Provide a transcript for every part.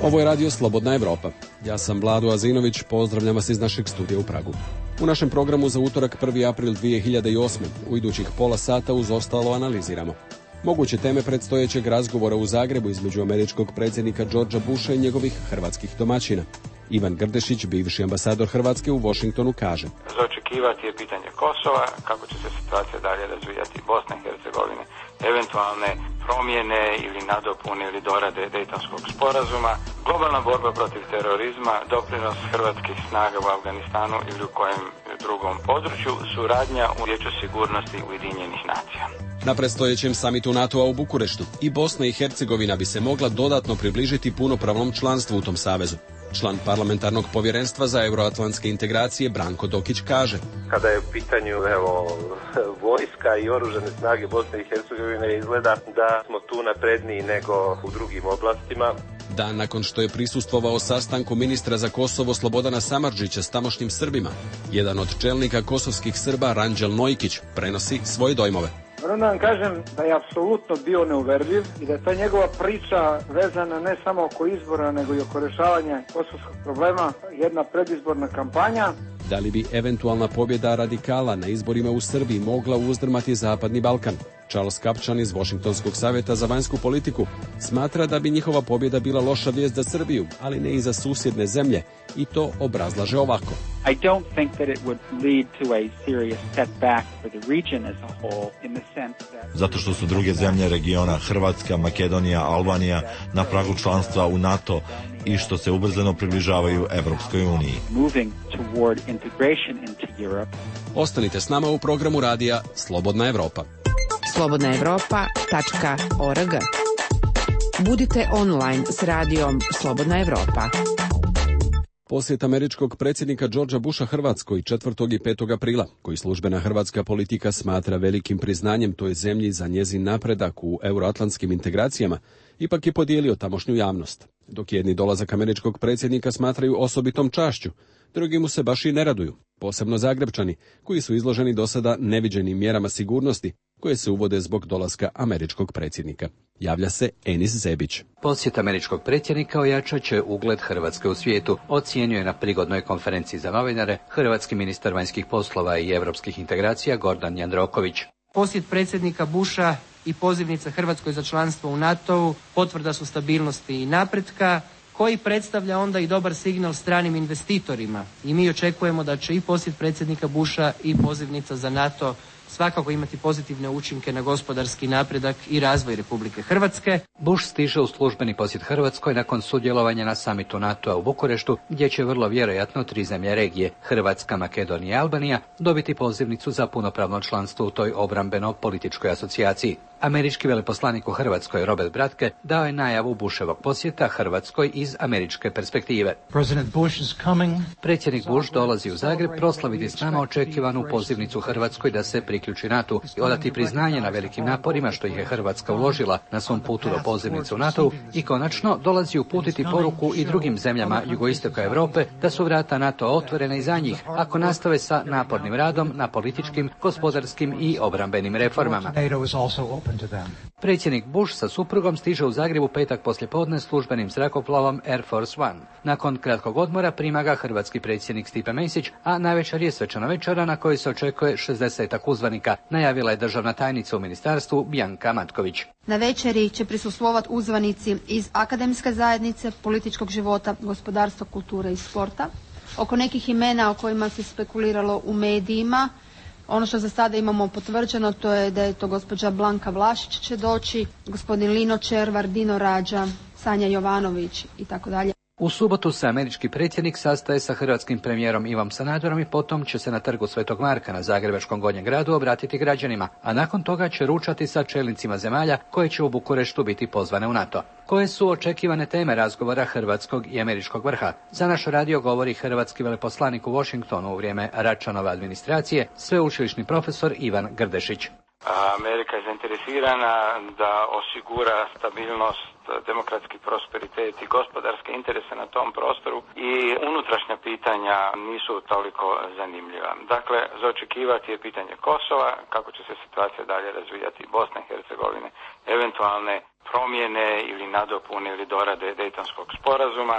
Ovo je radio Slobodna Evropa. Ja sam Vlado Azinović, pozdravljam vas iz našeg studija u Pragu. U našem programu za utorak 1. april 2008. u idućih pola sata uz ostalo analiziramo moguće teme predstojećeg razgovora u Zagrebu između američkog predsjednika Georgea Busha i njegovih hrvatskih domaćina. Ivan Grdešić, bivši ambasador Hrvatske u Washingtonu, kaže: za očekivati je pitanje Kosova, kako će se situacija dalje razvijati, Bosne i Hercegovine, eventualne promjene ili nadopune ili dorade Dejtonskog sporazuma, globalna borba protiv terorizma, doprinos hrvatskih snaga u Afganistanu ili u kojem drugom području, suradnja u Vijeću sigurnosti Ujedinjenih nacija. Na predstojećem samitu NATO-a u Bukureštu i Bosna i Hercegovina bi se mogla dodatno približiti punopravnom članstvu u tom savezu. Član parlamentarnog povjerenstva za euroatlantske integracije Branko Dokić kaže: kada je u pitanju vojska i oružane snage Bosne i Hercegovine, izgleda da smo tu napredniji nego u drugim oblastima. Dan nakon što je prisustvovao sastanku ministra za Kosovo Slobodana Samardžića s tamošnjim Srbima, jedan od čelnika kosovskih Srba, Ranđel Nojkić, prenosi svoje dojmove. Moram da vam kažem da je apsolutno bio neuverljiv i da je ta njegova priča vezana ne samo oko izbora, nego i oko rješavanja kosovskog problema, jedna predizborna kampanja. Da li bi eventualna pobjeda radikala na izborima u Srbiji mogla uzdrmati Zapadni Balkan? Charles Kapčan iz Washingtonskog savjeta za vanjsku politiku smatra da bi njihova pobjeda bila loša vijest za Srbiju, ali ne i za susjedne zemlje, i to obrazlaže ovako. I don't think that it would lead to a serious setback for the region as a whole in the sense that... Zato što su druge zemlje regiona, Hrvatska, Makedonija, Albanija, na pragu članstva u NATO i što se ubrzano približavaju Evropskoj uniji. Moving toward integration into Europe. Ostanite s nama u programu radija Slobodna Evropa. slobodnaevropa.org. Budite online s radijom Slobodna Evropa. Posjet američkog predsjednika Georgea Busha Hrvatskoj 4. i 5. aprila, koji službena hrvatska politika smatra velikim priznanjem toj zemlji za njezin napredak u euroatlantskim integracijama, ipak je podijelio tamošnju javnost. Dok jedni dolazak američkog predsjednika smatraju osobitom čašću, drugi mu se baš i ne raduju, posebno Zagrebčani, koji su izloženi do sada neviđenim mjerama sigurnosti koje se uvode zbog dolaska američkog predsjednika. Javlja se Enis Zebić. Posjet američkog predsjednika ojačat će ugled Hrvatske u svijetu, ocijenjuje na prigodnoj konferenciji za novinare hrvatski ministar vanjskih poslova i europskih integracija Gordan Jandroković. Posjet predsjednika Busha i pozivnica Hrvatskoj za članstvo u NATO-u potvrda su stabilnosti i napretka, koji predstavlja onda i dobar signal stranim investitorima. I mi očekujemo da će i posjet predsjednika Busha i pozivnica za NATO svakako imati pozitivne učinke na gospodarski napredak i razvoj Republike Hrvatske. Bush stiže u službeni posjet Hrvatskoj nakon sudjelovanja na samitu NATO-a u Bukureštu, gdje će vrlo vjerojatno 3 zemlje regije, Hrvatska, Makedonija i Albanija, dobiti pozivnicu za punopravno članstvo u toj obrambeno-političkoj asocijaciji. Američki veleposlanik u Hrvatskoj Robert Bratke dao je najavu Bushevog posjeta Hrvatskoj iz američke perspektive. Predsjednik Bush dolazi u Zagreb proslaviti s nama očekivanu pozivnicu Hrvatskoj da se priključi NATO i odati priznanje na velikim naporima što ih je Hrvatska uložila na svom putu do pozivnice u NATO i konačno dolazi uputiti poruku i drugim zemljama jugoistoka Europe da su vrata NATO otvorena i za njih ako nastave sa napornim radom na političkim, gospodarskim i obrambenim reformama. Predsjednik Bush sa suprugom stiže u Zagrebu petak poslijepodne službenim zrakoplovom Air Force One. Nakon kratkog odmora prima ga hrvatski predsjednik Stipe Mesić, a navečer je svečana večera na kojoj se očekuje 60 uzvanika, najavila je državna tajnica u ministarstvu Bianca Matković. Na večeri će prisustvovati uzvanici iz akademske zajednice, političkog života, gospodarstva, kulture i sporta. Oko nekih imena o kojima se spekuliralo u medijima, ono što za sada imamo potvrđeno to je da je to gospođa Blanka Vlašić će doći, gospodin Lino Červar, Dino Rađa, Sanja Jovanović i tako dalje. U subotu se američki predsjednik sastaje sa hrvatskim premijerom Ivom Sanaderom i potom će se na trgu Svetog Marka na zagrebačkom Gornjem gradu obratiti građanima, a nakon toga će ručati sa čelnicima zemalja koje će u Bukureštu biti pozvane u NATO. Koje su očekivane teme razgovora hrvatskog i američkog vrha? Za naš radio govori hrvatski veleposlanik u Washingtonu u vrijeme Račanove administracije, sveučilišni profesor Ivan Grdešić. Amerika je zainteresirana da osigura stabilnost, demokratski prosperitet i gospodarske interese na tom prostoru i unutrašnja pitanja nisu toliko zanimljiva. Dakle, za očekivati je pitanje Kosova, kako će se situacija dalje razvijati Bosne i Hercegovine, eventualne promjene ili nadopune ili dorade Dejtonskog sporazuma,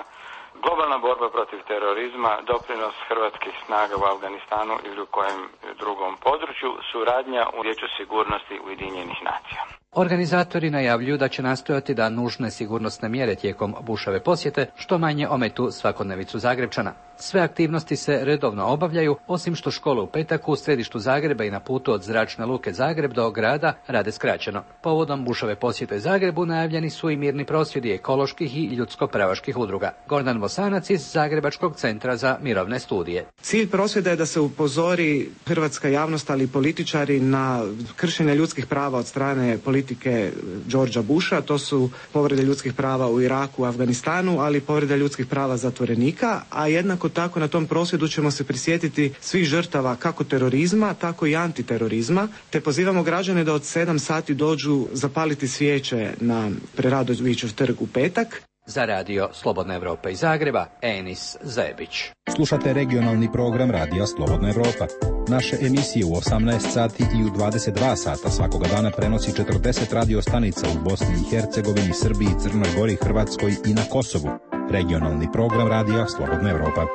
globalna borba protiv terorizma, doprinos hrvatskih snaga u Afganistanu ili u kojem drugom području, suradnja u Vijeću sigurnosti Ujedinjenih nacija. Organizatori najavljuju da će nastojati da nužne sigurnosne mjere tijekom Bushove posjete što manje ometu svakodnevicu Zagrepčana. Sve aktivnosti se redovno obavljaju, osim što škole u petak u središtu Zagreba i na putu od Zračne luke Zagreb do grada rade skraćeno. Povodom Bushove posjete Zagrebu najavljeni su i mirni prosvjedi ekoloških i ljudsko-pravaških udruga. Gordan Bosanac iz Zagrebačkog centra za mirovne studije. Cilj prosvjeda je da se upozori hrvatska javnost, ali i političari na kršenje ljudskih prava od strane politike Georgea Busha. To su povrede ljudskih prava u Iraku, u Afganistanu, ali i povrede ljudskih prava zatvorenika, a jednako tako na tom prosvjedu ćemo se prisjetiti svih žrtava kako terorizma, tako i antiterorizma, te pozivamo građane da od 7 sati dođu zapaliti svijeće na Preradovićev trg u petak. Za radio Slobodna Evropa iz Zagreba, Enis Zebić. Slušate regionalni program Radija Slobodna Evropa. Naše emisije u 18 sati i u 22 sata svakoga dana prenosi 40 radio stanica u Bosni i Hercegovini, Srbiji, Crnoj Gori, Hrvatskoj i na Kosovu. Regionalni program Radija Slobodna Evropa.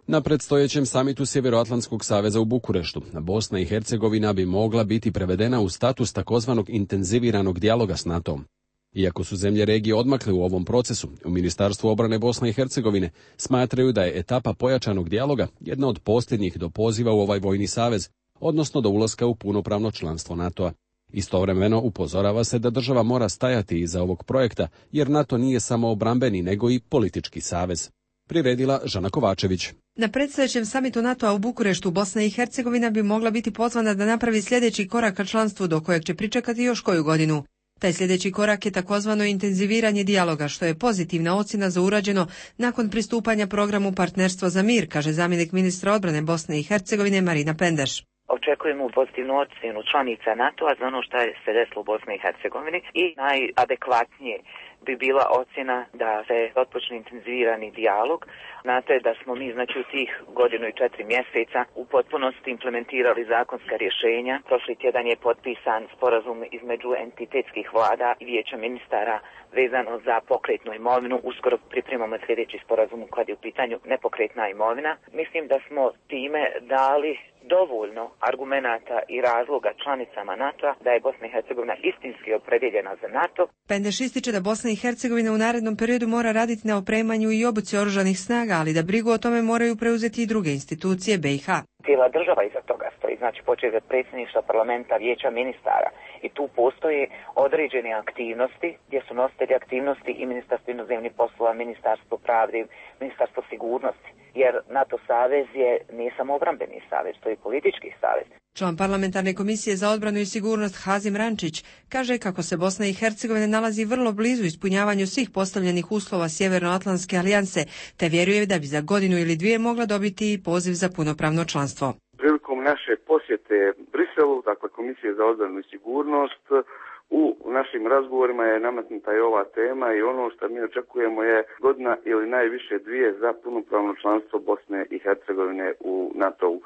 Na predstojećem samitu Sjeveroatlantskog saveza u Bukureštu, Bosna i Hercegovina bi mogla biti prevedena u status takozvanog intenziviranog dijaloga s NATO-om. Iako su zemlje regije odmakle u ovom procesu, u Ministarstvu obrane Bosne i Hercegovine smatraju da je etapa pojačanog dijaloga jedna od posljednjih do poziva u ovaj vojni savez, odnosno do ulaska u punopravno članstvo NATO-a. Istovremeno upozorava se da država mora stajati iza ovog projekta, jer NATO nije samo obrambeni, nego i politički savez. Priredila Žana Kovačević. Na predstojećem samitu NATO-a u Bukureštu Bosna i Hercegovina bi mogla biti pozvana da napravi sljedeći korak ka članstvu do kojeg će pričekati još koju godinu. Taj sljedeći korak je takozvano intenziviranje dijaloga, što je pozitivna ocjena za urađeno nakon pristupanja programu Partnerstvo za mir, kaže zamjenik ministra odbrane Bosne i Hercegovine Marina Pendeš. Očekujemo pozitivnu ocjenu članica NATO-a za ono što se desilo u Bosni i Hercegovini i najadekvatnije bi bila ocjena da se otpočne intenzivirani dijalog. Znate da smo mi u tih 1.4 mjeseca u potpunosti implementirali zakonska rješenja. Prošli tjedan je potpisan sporazum između entitetskih vlada i vijeća ministara vezano za pokretnu imovinu. Uskoro pripremamo sljedeći sporazum kad je u pitanju nepokretna imovina. Mislim da smo time dali dovoljno argumenata i razloga članicama NATO-a da je Bosna i Hercegovina istinski opredjeljena za NATO. Pendeš ističe da Bosna i Hercegovina u narednom periodu mora raditi na opremanju i obuci oružanih snaga, ali da brigu o tome moraju preuzeti i druge institucije BiH. Cijela država iza toga stoji, počet od predsjedništva parlamenta, vijeća ministara i tu postoje određene aktivnosti gdje su nositelji aktivnosti i Ministarstvo inozemnih poslova, Ministarstvo pravde, Ministarstvo sigurnosti, jer NATO savez nije samo obrambeni savez, to je politički savez. Član parlamentarne komisije za odbranu i sigurnost Hazim Rančić kaže kako se Bosna i Hercegovina nalazi vrlo blizu ispunjavanju svih postavljenih uslova Sjevernoatlantske alijanse, te vjeruje da bi za 1 ili 2 mogla dobiti i poziv za punopravno članstvo. Prilikom naše posjete Briselu, dakle Komisije za odbranu i sigurnost, u našim razgovorima je nametnuta i ova tema i ono što mi očekujemo je 1 ili najviše 2 za punopravno članstvo Bosne i Hercegovine u NATO-u.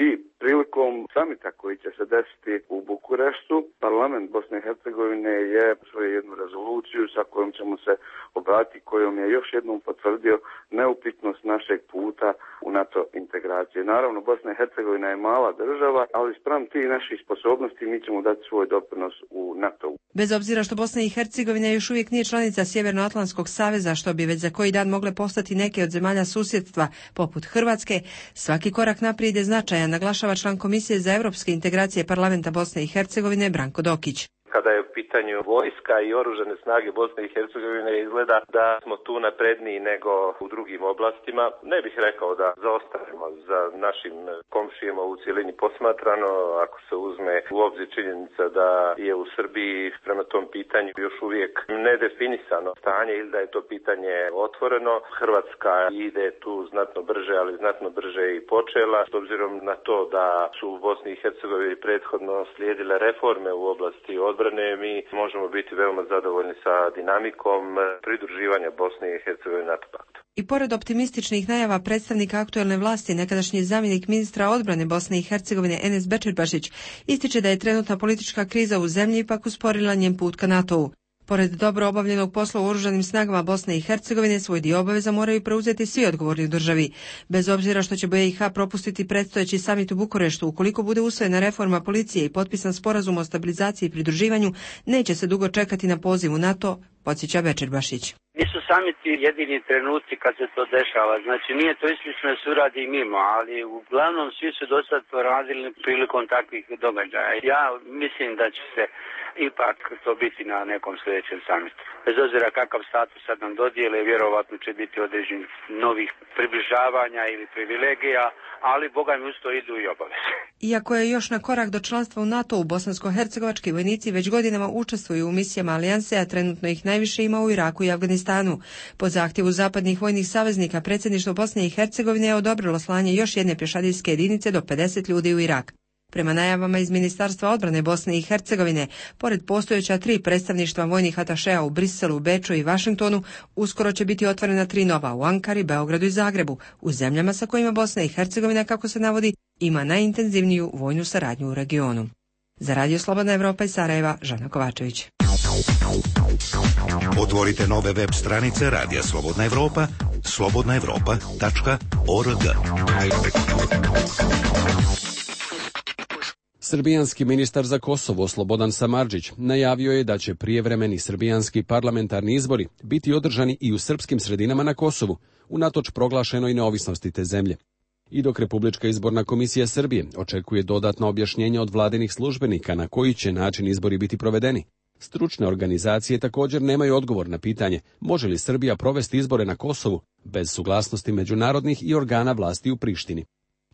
I prilikom samita koji će se desiti u Bukureštu, parlament Bosne i Hercegovine je svoju jednu rezoluciju sa kojom ćemo se obratiti, kojom je još jednom potvrdio neupitnost našeg puta u NATO integracije. Naravno, Bosna i Hercegovina je mala država, ali spram tih naših sposobnosti mi ćemo dati svoj doprinos u NATO-u. Bez obzira što Bosna i Hercegovina još uvijek nije članica Sjevernoatlantskog saveza, što bi već za koji dan mogle postati neke od zemalja susjedstva, poput Hrvatske, svaki korak naprijed je značajan, naglašava član Komisije za europske integracije parlamenta Bosne i Hercegovine Branko Dokić. kada je u pitanju vojska i oružane snage Bosne i Hercegovine, izgleda da smo tu napredniji nego u drugim oblastima. Ne bih rekao da zaostajemo za našim komšijama u cijelini posmatrano, ako se uzme u obzir činjenica da je u Srbiji prema tom pitanju još uvijek nedefinisano stanje ili da je to pitanje otvoreno. Hrvatska ide tu znatno brže, ali znatno brže i počela. S obzirom na to da su u Bosni i Hercegovini prethodno slijedile reforme u oblasti odbrane, mi možemo biti veoma zadovoljni sa dinamikom pridruživanja Bosne i Hercegovine NATO paktu. I pored optimističnih najava predstavnika aktuelne vlasti, nekadašnji zamjenik ministra odbrane Bosne i Hercegovine Enes Bećirbašić ističe da je trenutna politička kriza u zemlji ipak usporila njen put ka NATO-u. Pored dobro obavljenog posla u oružanim snagama Bosne i Hercegovine, svoj dio obaveza moraju preuzeti svi odgovorni u državi. Bez obzira što će BiH propustiti predstojeći samit u Bukureštu, ukoliko bude usvojena reforma policije i potpisan sporazum o stabilizaciji i pridruživanju, neće se dugo čekati na poziv u NATO, podsjeća Bećirbašić. Nisu samiti jedini trenuci kad se to dešava, znači nije to isključno da se uradi mimo, ali uglavnom svi su do sad to radili prilikom takvih događaja. Ja mislim da će se ipak to biti na nekom sljedećem samitu. Bez obzira kakav status sad nam dodijele, vjerovatno će biti određenih novih približavanja ili privilegija, ali boga mi uz to idu i obaveze. Iako je još na korak do članstva u NATO, u bosansko-hercegovački vojnici već godinama učestvuju u misijama alijanse, a trenutno ih najviše ima u Iraku i Afganistanu. Po zahtjevu zapadnih vojnih saveznika, predsjedništvo Bosne i Hercegovine je odobrilo slanje još jedne pješadijske jedinice do 50 ljudi u Irak. Prema najavama iz Ministarstva odbrane Bosne i Hercegovine, pored postojeća 3 predstavništva vojnih atašeja u Briselu, Beču i Vašingtonu, uskoro će biti otvorena 3 nova u Ankari, Beogradu i Zagrebu, u zemljama sa kojima Bosna i Hercegovina, kako se navodi, ima najintenzivniju vojnu saradnju u regionu. Za Radio Slobodna Evropa iz Sarajeva, Žana Kovačević. Otvorite nove web stranice Radija Slobodna Evropa, slobodnaevropa.org. Srbijanski ministar za Kosovo Slobodan Samardžić najavio je da će prijevremeni srbijanski parlamentarni izbori biti održani i u srpskim sredinama na Kosovu, unatoč proglašenoj neovisnosti te zemlje. I dok Republička izborna komisija Srbije očekuje dodatno objašnjenje od vladinih službenika na koji će način izbori biti provedeni, stručne organizacije također nemaju odgovor na pitanje može li Srbija provesti izbore na Kosovu bez suglasnosti međunarodnih i organa vlasti u Prištini.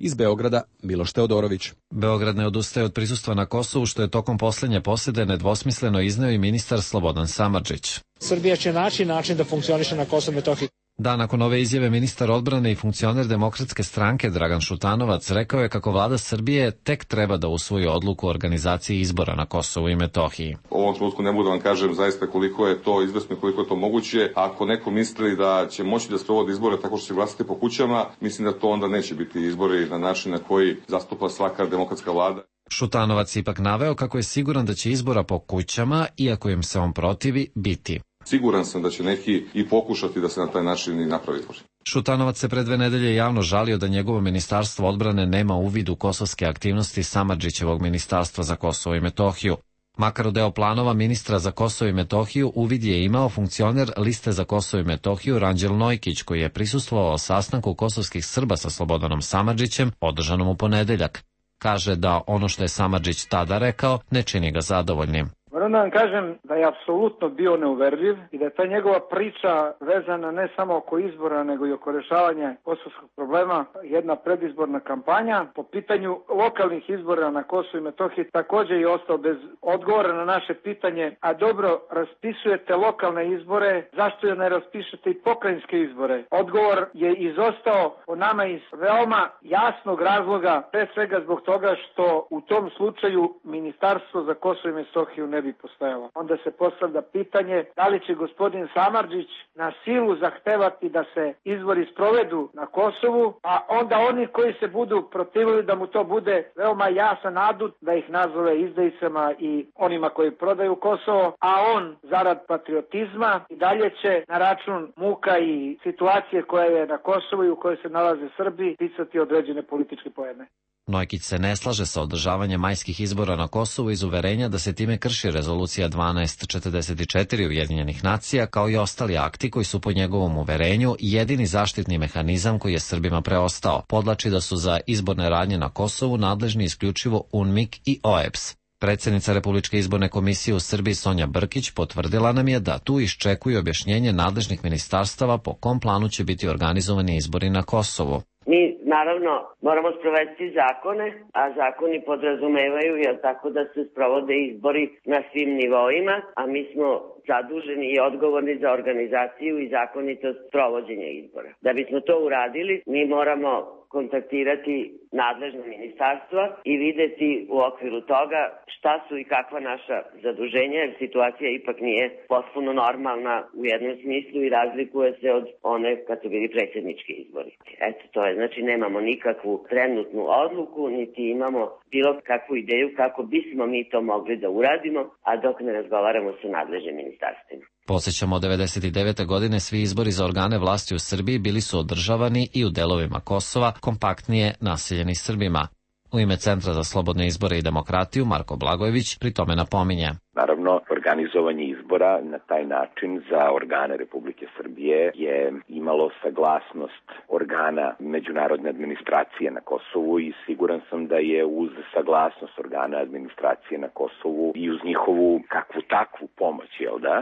Iz Beograda, Miloš Teodorović. Beograd ne odustaje od prisustva na Kosovu, što je tokom posljednje posjede nedvosmisleno izneo i ministar Slobodan Samardžić. Srbija će naći način da funkcioniše na Kosovu i Metohiji. Da, nakon ove izjave ministar odbrane i funkcioner Demokratske stranke Dragan Šutanovac rekao je kako vlada Srbije tek treba da usvoji odluku o organizaciji izbora na Kosovu i Metohiji. U ovom trenutku ne mogu da vam kažem zaista koliko je to izvesno i koliko je to moguće. Ako neko misli da će moći da sprovodi izbore tako što će glasati po kućama, mislim da to onda neće biti izbori na način na koji zastupa svaka demokratska vlada. Šutanovac ipak naveo kako je siguran da će izbora po kućama, iako im se on protivi, biti. Siguran sam da će neki i pokušati da se na taj način i napravi izbor. Šutanovac se pre 2 nedelje javno žalio da njegovo ministarstvo odbrane nema uvid u kosovske aktivnosti Samardžićevog ministarstva za Kosovo i Metohiju. Makar u deo planova ministra za Kosovo i Metohiju uvid je imao funkcioner liste za Kosovo i Metohiju Ranđel Nojkić, koji je prisustvovao sastanku kosovskih Srba sa Slobodanom Samardžićem održanom u ponedeljak. Kaže da ono što je Samardžić tada rekao ne čini ga zadovoljnim. Moram da vam kažem da je apsolutno bio neuverljiv i da je ta njegova priča vezana ne samo oko izbora, nego i oko rješavanja kosovskog problema, jedna predizborna kampanja. Po pitanju lokalnih izbora na Kosovu i Metohiji također je ostao bez odgovora na naše pitanje, a dobro, raspisujete lokalne izbore, zašto ne raspišete i pokrajinske izbore? Odgovor je izostao po nama iz veoma jasnog razloga, pre svega zbog toga što u tom slučaju Ministarstvo za Kosovo i Metohiju ne bi postojalo. Onda se postavlja pitanje da li će gospodin Samardžić na silu zahtevati da se izbori sprovedu na Kosovu, a onda oni koji se budu protivili da mu to bude veoma jasan adut da ih nazove izdajicama i onima koji prodaju Kosovo, a on zarad patriotizma i dalje će na račun muka i situacije koja je na Kosovu i u kojoj se nalaze Srbi pisati određene političke poene. Nojkić se ne slaže sa održavanjem majskih izbora na Kosovu iz uverenja da se time krši rezolucija 1244 Ujedinjenih nacija, kao i ostali akti koji su po njegovom uverenju jedini zaštitni mehanizam koji je Srbima preostao. Podlači da su za izborne radnje na Kosovu nadležni isključivo UNMIK i OEBS. Predsjednica Republičke izborne komisije u Srbiji Sonja Brkić potvrdila nam je da tu iščekuje objašnjenje nadležnih ministarstava po kom planu će biti organizovani izbori na Kosovu. Mi naravno moramo sprovesti zakone, a zakoni podrazumevaju tako da se sprovode izbori na svim nivoima, a mi smo zaduženi i odgovorni za organizaciju i zakonitost provođenja izbora. Da bismo to uradili, mi moramo kontaktirati nadležna ministarstva i videti u okviru toga šta su i kakva naša zaduženja, jer situacija ipak nije potpuno normalna u jednom smislu i razlikuje se od one kad su bili predsjednički izbori. Eto, to je, znači nemamo nikakvu trenutnu odluku, niti imamo bilo kakvu ideju kako bismo mi to mogli da uradimo, a dok ne razgovaramo sa nadležnim ministarstvima. Podsjećamo, od 1999. godine svi izbori za organe vlasti u Srbiji bili su održavani i u delovima Kosova, kompaktnije naseljeni Srbima. U ime Centra za slobodne izbore i demokratiju Marko Blagojević pri tome napominje. Naravno, organizovanje izbora na taj način za organe Republike Srbije je imalo saglasnost organa međunarodne administracije na Kosovu i siguran sam da je uz saglasnost organa administracije na Kosovu i uz njihovu kakvu takvu pomoć,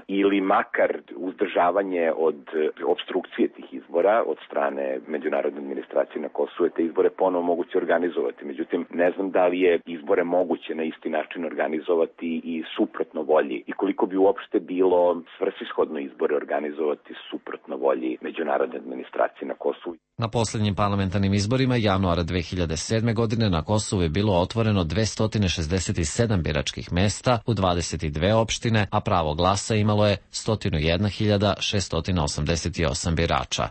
ili makar uzdržavanje od obstrukcije tih izbora od strane međunarodne administracije na Kosovu, te izbore ponovo moguće organizovati. Međutim, ne znam da li je izbore moguće na isti način organizovati i suprotno volji i koliko bi uopšte bilo svrsishodno izbore organizovati suprotno volji međunarodne administracije na Kosovu. Na posljednjim parlamentarnim izborima januara 2007. godine na Kosovu je bilo otvoreno 267 biračkih mesta u 22 opštine, a pravo glasa imalo je 101.688 birača.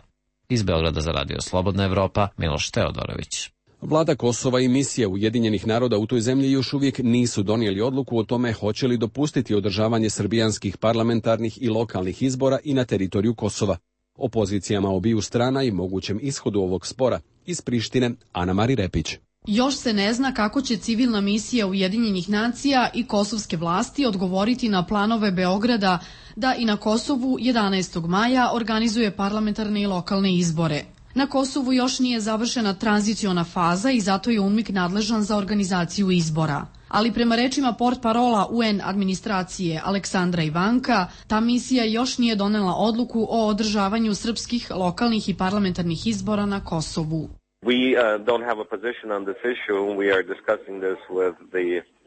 Iz Beograda za Radio Slobodna Evropa, Miloš Teodorović. Vlada Kosova i misije Ujedinjenih naroda u toj zemlji još uvijek nisu donijeli odluku o tome hoće li dopustiti održavanje srbijanskih parlamentarnih i lokalnih izbora i na teritoriju Kosova. O pozicijama obiju strana i mogućem ishodu ovog spora iz Prištine Ana Mari Repić. Još se ne zna kako će civilna misija Ujedinjenih nacija i kosovske vlasti odgovoriti na planove Beograda da i na Kosovu 11. maja organizuje parlamentarne i lokalne izbore. Na Kosovu još nije završena tranziciona faza i zato je UNMIK nadležan za organizaciju izbora. Ali prema rečima portparola UN administracije Aleksandra Ivanka, ta misija još nije donela odluku o održavanju srpskih lokalnih i parlamentarnih izbora na Kosovu.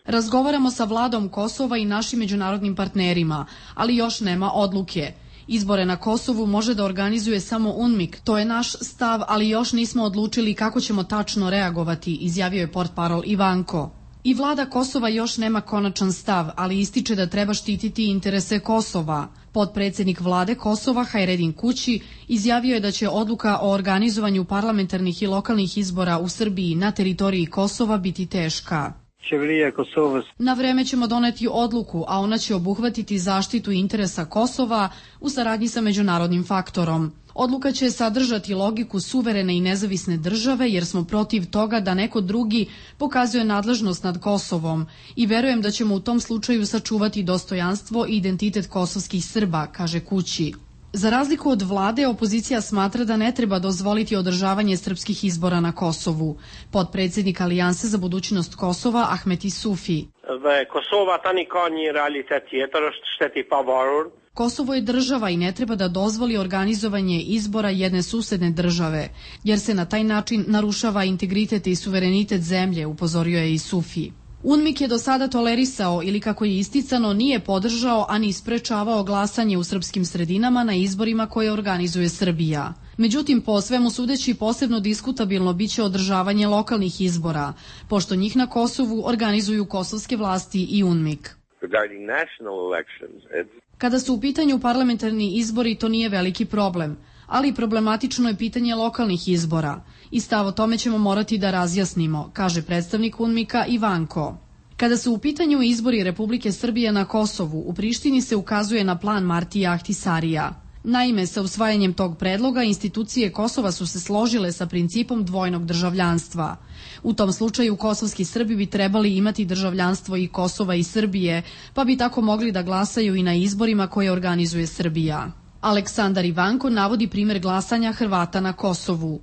Razgovaramo sa vladom Kosova i našim međunarodnim partnerima, ali još nema odluke. Izbore na Kosovu može da organizuje samo UNMIK, to je naš stav, ali još nismo odlučili kako ćemo tačno reagovati, izjavio je portparol Ivanko. I vlada Kosova još nema konačan stav, ali ističe da treba štititi interese Kosova. Potpredsjednik vlade Kosova Hajredin Kući izjavio je da će odluka o organizovanju parlamentarnih i lokalnih izbora u Srbiji na teritoriji Kosova biti teška. Na vreme ćemo doneti odluku, a ona će obuhvatiti zaštitu interesa Kosova u saradnji sa međunarodnim faktorom. Odluka će sadržati logiku suverene i nezavisne države jer smo protiv toga da neko drugi pokazuje nadležnost nad Kosovom i verujem da ćemo u tom slučaju sačuvati dostojanstvo i identitet kosovskih Srba, kaže Kući. Za razliku od vlade, opozicija smatra da ne treba dozvoliti održavanje srpskih izbora na Kosovu. Potpredsjednik Alijanse za budućnost Kosova Ahmet Isufi. Kosovo je država i ne treba da dozvoli organizovanje izbora jedne susedne države, jer se na taj način narušava integritet i suverenitet zemlje, upozorio je Isufi. UNMIK je do sada tolerisao ili, kako je isticano, nije podržao, a ni sprečavao glasanje u srpskim sredinama na izborima koje organizuje Srbija. Međutim, po svemu sudeći, posebno diskutabilno biće održavanje lokalnih izbora, pošto njih na Kosovu organizuju kosovske vlasti i UNMIK. Kada su u pitanju parlamentarni izbori, to nije veliki problem, ali problematično je pitanje lokalnih izbora i stav o tome ćemo morati da razjasnimo, kaže predstavnik UNMIK-a Ivanko. Kada su u pitanju izbori Republike Srbije na Kosovu, u Prištini se ukazuje na plan Martija Ahtisarija. Naime, sa usvajanjem tog predloga institucije Kosova su se složile sa principom dvojnog državljanstva. U tom slučaju kosovski Srbi bi trebali imati državljanstvo i Kosova i Srbije, pa bi tako mogli da glasaju i na izborima koje organizuje Srbija. Aleksandar Ivanko navodi primer glasanja Hrvata na Kosovu.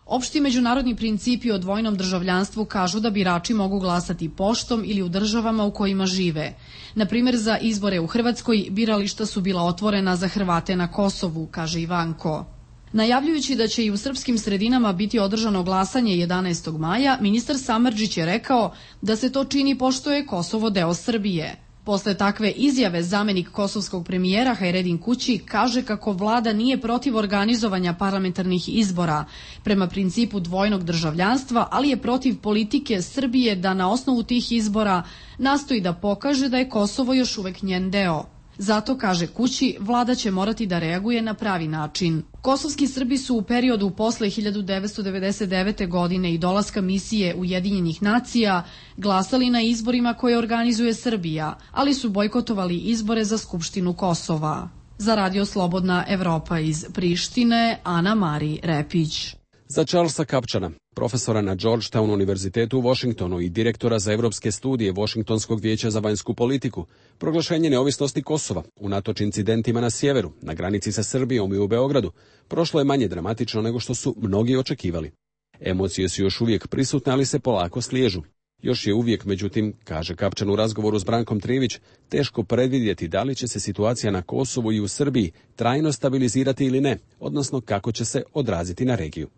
Opšti međunarodni principi o dvojnom državljanstvu kažu da birači mogu glasati poštom ili u državama u kojima žive. Na primer, za izbore u Hrvatskoj birališta su bila otvorena za Hrvate na Kosovu, kaže Ivanko. Najavljujući da će i u srpskim sredinama biti održano glasanje 11. maja, ministar Samardžić je rekao da se to čini pošto je Kosovo deo Srbije. Posle takve izjave zamenik kosovskog premijera Hajredin Kući kaže kako vlada nije protiv organizovanja parlamentarnih izbora prema principu dvojnog državljanstva, ali je protiv politike Srbije da na osnovu tih izbora nastoji da pokaže da je Kosovo još uvek njen deo. Zato, kaže Kući, vlada će morati da reaguje na pravi način. Kosovski Srbi su u periodu posle 1999. godine i dolaska misije Ujedinjenih nacija glasali na izborima koje organizuje Srbija, ali su bojkotovali izbore za Skupštinu Kosova. Za Radio Slobodna Evropa iz Prištine, Ana Mari Repić. Za Charlesa Kapčana, profesora na Georgetown univerzitetu u Washingtonu i direktora za evropske studije Washingtonskog vijeća za vanjsku politiku, proglašenje neovisnosti Kosova, unatoč incidentima na sjeveru, na granici sa Srbijom i u Beogradu, prošlo je manje dramatično nego što su mnogi očekivali. Emocije su još uvijek prisutne, ali se polako sliježu. Još je uvijek, međutim, kaže Kapčan u razgovoru s Brankom Trivić, teško predvidjeti da li će se situacija na Kosovu i u Srbiji trajno stabilizirati ili ne, odnosno kako će se odraziti na regiju.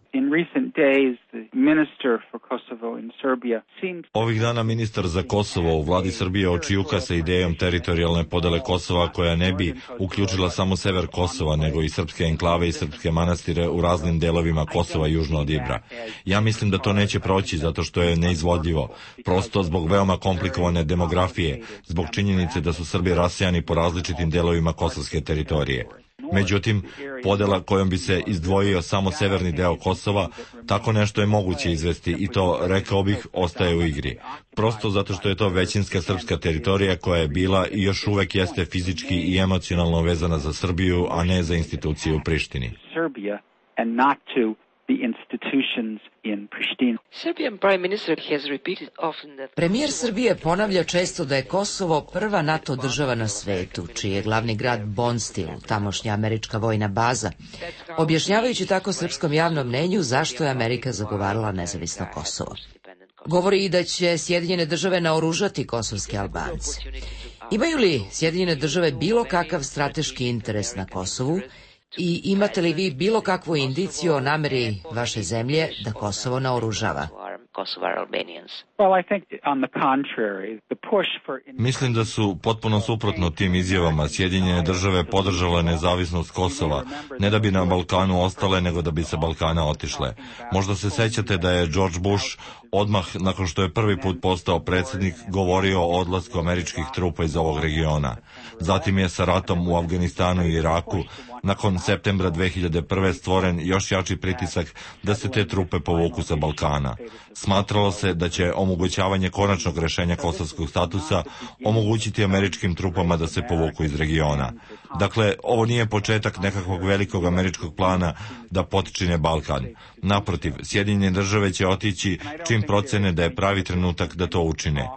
Ovih dana ministar za Kosovo u vladi Srbije očijuka sa idejom teritorijalne podele Kosova koja ne bi uključila samo sever Kosova, nego i srpske enklave i srpske manastire u raznim delovima Kosova južno od Ibra. Ja mislim da to neće proći zato što je neizvodljivo, prosto zbog veoma komplikovane demografije, zbog činjenice da su Srbi rasejani po različitim delovima kosovske teritorije. Međutim, podela kojom bi se izdvojio samo severni deo Kosova, tako nešto je moguće izvesti i to, rekao bih, ostaje u igri. Prosto zato što je to većinska srpska teritorija koja je bila i još uvek jeste fizički i emocionalno vezana za Srbiju, a ne za institucije u Prištini. Premijer Srbije ponavlja često da je Kosovo prva NATO država na svetu, čiji je glavni grad Bonstil, tamošnja američka vojna baza, objašnjavajući tako srpskom javnom mnenju zašto je Amerika zagovarala nezavisno Kosovo. Govori i da će Sjedinjene države naoružati kosovske Albance. Imaju li Sjedinjene države bilo kakav strateški interes na Kosovu? I imate li vi bilo kakvu indiciju o nameri vaše zemlje da Kosovo naoružava? Mislim da su potpuno suprotno tim izjavama Sjedinjene države podržale nezavisnost Kosova, ne da bi na Balkanu ostale, nego da bi sa Balkana otišle. Možda se sećate da je George Bush odmah nakon što je prvi put postao predsjednik govorio o odlasku američkih trupa iz ovog regiona. Zatim je sa ratom u Afganistanu i Iraku nakon septembra 2001. stvoren još jači pritisak da se te trupe povuku sa Balkana. Smatralo se da će omogućavanje konačnog rešenja kosovskog statusa omogućiti američkim trupama da se povuku iz regiona. Dakle, ovo nije početak nekakvog velikog američkog plana da potčine Balkan. Naprotiv, Sjedinjene države će otići čim procene da je pravi trenutak da to učine.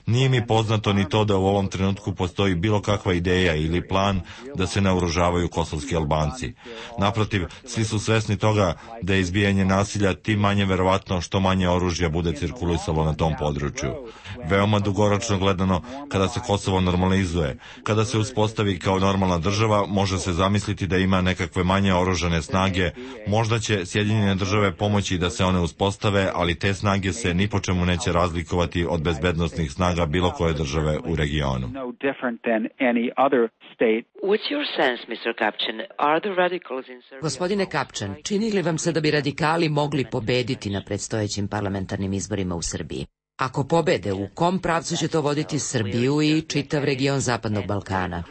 Nije mi poznato ni to da u ovom trenutku postoji bilo kakva ideja ili plan da se naoružavaju kosovski Albanci. Naprotiv, svi su svesni toga da je izbijanje nasilja tim manje verovatno što manje oružja bude cirkulisalo na tom području. Veoma dugoročno gledano, kada se Kosovo normalizuje, kada se uspostavi kao normalna država, može se zamisliti da ima nekakve manje oružane snage, možda će Sjedinjene države pomoći da se one uspostave, ali te snage se ni po čemu neće razlikovati od bezbednosnih snaga bilo koje države u regionu. Gospodine Kapčan, čini li vam se da bi radikali mogli pobediti na predstojećim parlamentarnim izborima u Srbiji? Ako pobede, u kom pravcu će to voditi Srbiju i čitav region Zapadnog Balkana?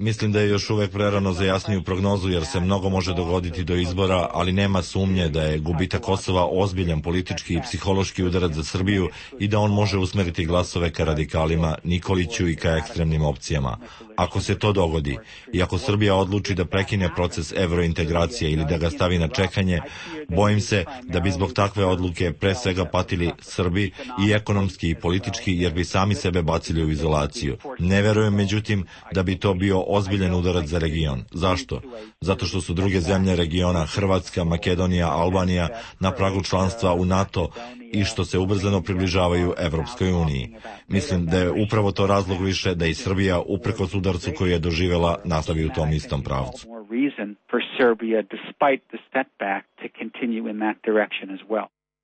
Mislim da je još uvek prerano za jasniju prognozu jer se mnogo može dogoditi do izbora, ali nema sumnje da je gubitak Kosova ozbiljan politički i psihološki udarac za Srbiju i da on može usmeriti glasove ka radikalima, Nikoliću i ka ekstremnim opcijama. Ako se to dogodi i ako Srbija odluči da prekine proces evrointegracije ili da ga stavi na čekanje, bojim se da bi zbog takve odluke pre svega patili Srbi i ekonomski i politički jer bi sami sebe bacili u izolaciju. Ne verujem međutim da bi to bio ozbiljan udarac za region. Zašto? Zato što su druge zemlje regiona, Hrvatska, Makedonija, Albanija, na pragu članstva u NATO i što se ubrzano približavaju Evropskoj uniji. Mislim da je upravo to razlog više da i Srbija, uprkos udarcu koji je doživela, nastavi u tom istom pravcu.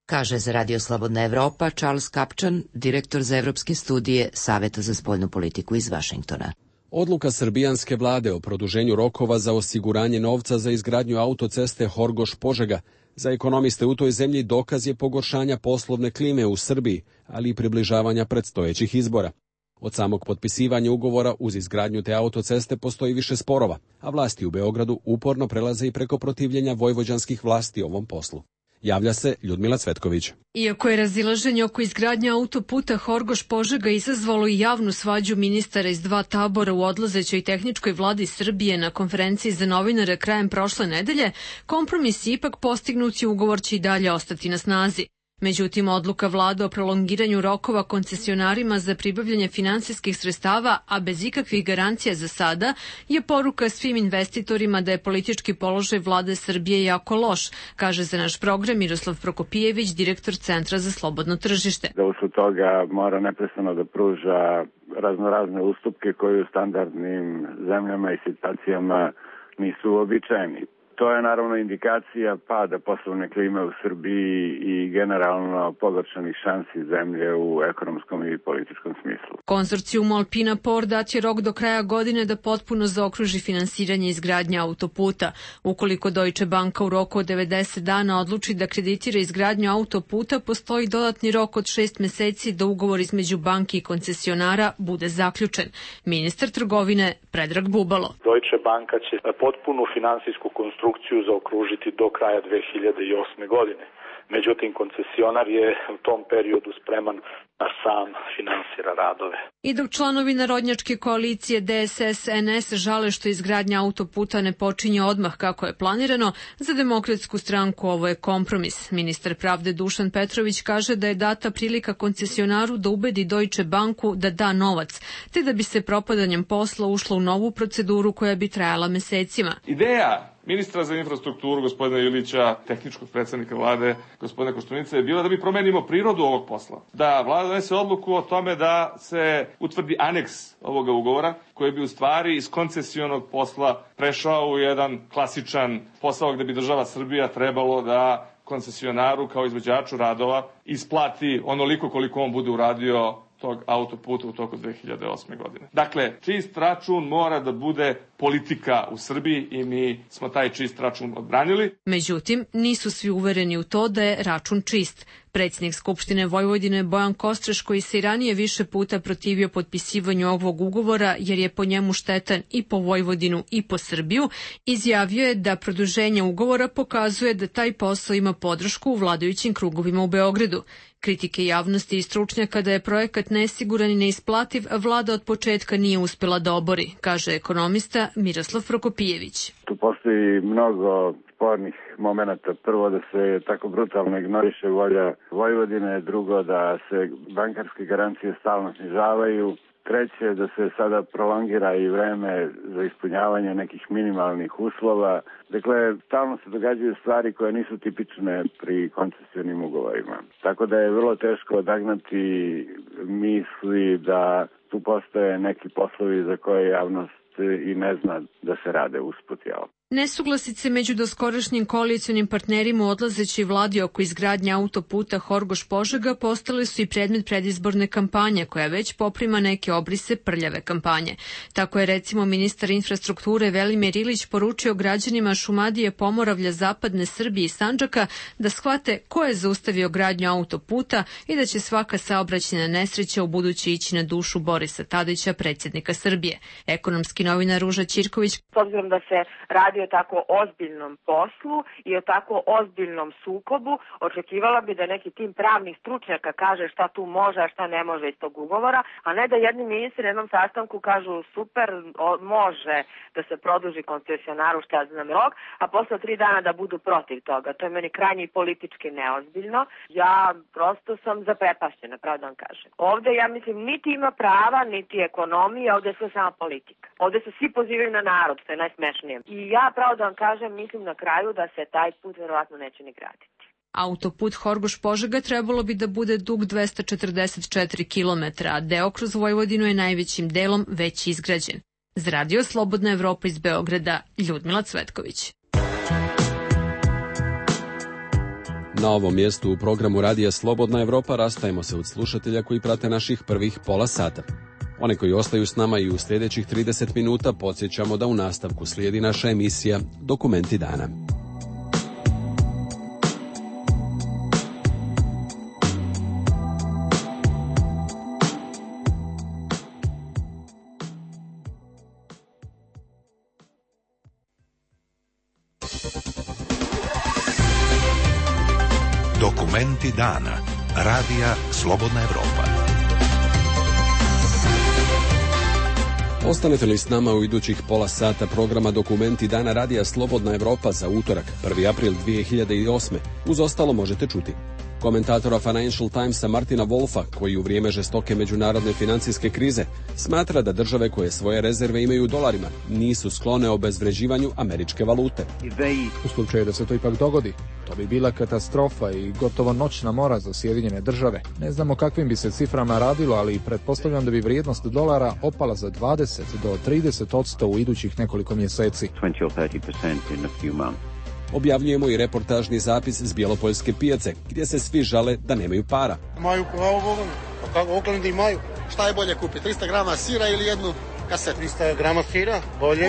Kaže za Radio Slobodna Evropa Charles Kapčan, direktor za evropske studije Saveta za spoljnu politiku iz Vašingtona. Odluka srbijanske vlade o produženju rokova za osiguranje novca za izgradnju autoceste Horgoš-Požega za ekonomiste u toj zemlji dokaz je pogoršanja poslovne klime u Srbiji, ali i približavanja predstojećih izbora. Od samog potpisivanja ugovora uz izgradnju te autoceste postoji više sporova, a vlasti u Beogradu uporno prelaze i preko protivljenja vojvođanskih vlasti ovom poslu. Javlja se Ljudmila Cvetković. Iako je razilaženje oko izgradnje autoputa Horgoš-Požega izazvalo i javnu svađu ministara iz dva tabora u odlazećoj tehničkoj vladi Srbije na konferenciji za novinare krajem prošle nedelje, kompromis ipak postignut i ugovor će i dalje ostati na snazi. Međutim, odluka vlade o prolongiranju rokova koncesionarima za pribavljanje finansijskih sredstava, a bez ikakvih garancija za sada, je poruka svim investitorima da je politički položaj vlade Srbije jako loš, kaže za naš program Miroslav Prokopijević, direktor Centra za slobodno tržište. Da usled toga mora neprestano da pruža raznorazne ustupke koji u standardnim zemljama i situacijama nisu uobičajeni. To je naravno indikacija pada poslovne klime u Srbiji i generalno pogoršanih šansi zemlje u ekonomskom i političkom smislu. Konzorcijum Alpina Port dat je rok do kraja godine da potpuno zaokruži finansiranje izgradnje autoputa. Ukoliko Deutsche Banka u roku od 90 dana odluči da kreditira izgradnju autoputa, postoji dodatni rok od 6 meseci da ugovor između banki i koncesionara bude zaključen. Ministar trgovine Predrag Bubalo. Deutsche Banka će potpunu finansijsku konstrukciju zaokružiti do kraja 2008. godine. Međutim, koncesionar je u tom periodu spreman da sam finansira radove. I dok članovi narodnjačke koalicije DSS-NS žale što izgradnja autoputa ne počinje odmah kako je planirano, za Demokratsku stranku ovo je kompromis. Ministar pravde Dušan Petrović kaže da je data prilika koncesionaru da ubedi Deutsche Banku da da novac, te da bi se propadanjem posla ušlo u novu proceduru koja bi trajala mesecima. Ideja ministra za infrastrukturu, gospodina Ilića, tehničkog predsednika vlade, gospodina Koštunice, je bila da mi promenimo prirodu ovog posla. Da vlada donese odluku o tome da se utvrdi aneks ovoga ugovora, koji bi u stvari iz koncesionog posla prešao u jedan klasičan posao gde bi država Srbija trebalo da koncesionaru kao izvođaču radova isplati onoliko koliko on bude uradio tog autoputa u toku 2008. godine. Dakle, čist račun mora da bude politika u Srbiji i mi smo taj čist račun odbranili. Međutim, nisu svi uvereni u to da je račun čist. Predsjednik Skupštine Vojvodine Bojan Kostreš, koji se i ranije više puta protivio potpisivanju ovog ugovora jer je po njemu štetan i po Vojvodinu i po Srbiju, izjavio je da produženje ugovora pokazuje da taj posao ima podršku u vladajućim krugovima u Beogradu. Kritike javnosti i stručnjaka da je projekat nesiguran i neisplativ, vlada od početka nije uspjela da obori, kaže ekonomista Miroslav Prokopijević. Tu postoji mnogo spornih momenata. Prvo da se tako brutalno ignoriše volja Vojvodine, drugo da se bankarske garancije stalno snižavaju, treće da se sada prolongira i vreme za ispunjavanje nekih minimalnih uslova. Dakle, stalno se događaju stvari koje nisu tipične pri koncesionim ugovorima. Tako da je vrlo teško odagnati misli da tu postoje neki poslovi za koje javnost i ne zna da se rade usput. Nesuglasice među doskorašnjim koalicionim partnerima u odlazećoj vladi oko izgradnje autoputa Horgoš-Požega postale su i predmet predizborne kampanje, koja već poprima neke obrise prljave kampanje. Tako je recimo ministar infrastrukture Velimir Ilić poručio građanima Šumadije, Pomoravlja, Zapadne Srbije i Sandžaka da shvate ko je zaustavio gradnju autoputa i da će svaka saobraćajna nesreća u buduće ići na dušu Borisa Tadića, predsjednika Srbije. Ekonomski novinar Ruža Ćirković: S obzirom da se radi o tako ozbiljnom poslu i o tako ozbiljnom sukobu, očekivala bi da neki tim pravnih stručnjaka kaže šta tu može, a šta ne može iz tog ugovora, a ne da jedni ministri na jednom sastanku kažu super, može da se produži koncesionaru šta znam rok, a posle 3 dana da budu protiv toga. To je meni krajnje i politički neozbiljno. Ja prosto sam zaprepašćena, pravo da vam kažem. Ovde, ja mislim, niti ima prava, niti ekonomija, ovde je sve sama politika. Ovde se svi pozivaju na narod, što je najsmešnije. I ja, pravo da vam kažem, mislim na kraju da se taj put verovatno neće ni graditi. Autoput Horgoš-Požega trebalo bi da bude dug 244 km, a deo kroz Vojvodinu je najvećim delom već izgrađen. Za Radio Slobodna Evropa iz Beograda, Ljudmila Cvetković. Na ovom mjestu u programu Radija Slobodna Evropa rastajemo se od slušatelja koji prate naših prvih pola sata. One koji ostaju s nama i u sljedećih 30 minuta podsjećamo da u nastavku slijedi naša emisija Dokumenti dana. Dokumenti dana. Radija Slobodna Evropa. Ostanete li s nama u idućih pola sata programa Dokumenti dana Radija Slobodna Evropa za utorak, 1. april 2008. Uz ostalo možete čuti komentatora Financial Timesa Martina Wolfa, koji u vrijeme žestoke međunarodne financijske krize smatra da države koje svoje rezerve imaju u dolarima nisu sklone obezvređivanju američke valute. U slučaju da se to ipak dogodi, to bi bila katastrofa i gotovo noćna mora za Sjedinjene države. Ne znamo kakvim bi se ciframa radilo, ali pretpostavljam da bi vrijednost dolara opala za 20 do 30% u idućih nekoliko mjeseci. Objavljujemo i reportažni zapis s Bjelopoljske pijace, gdje se svi žale da nemaju para. Imaju pravo Bogom, pa kako Oklandi imaju, šta je bolje kupiti, 300 grama sira ili jednu kasetu? 300 grama sira, bolje.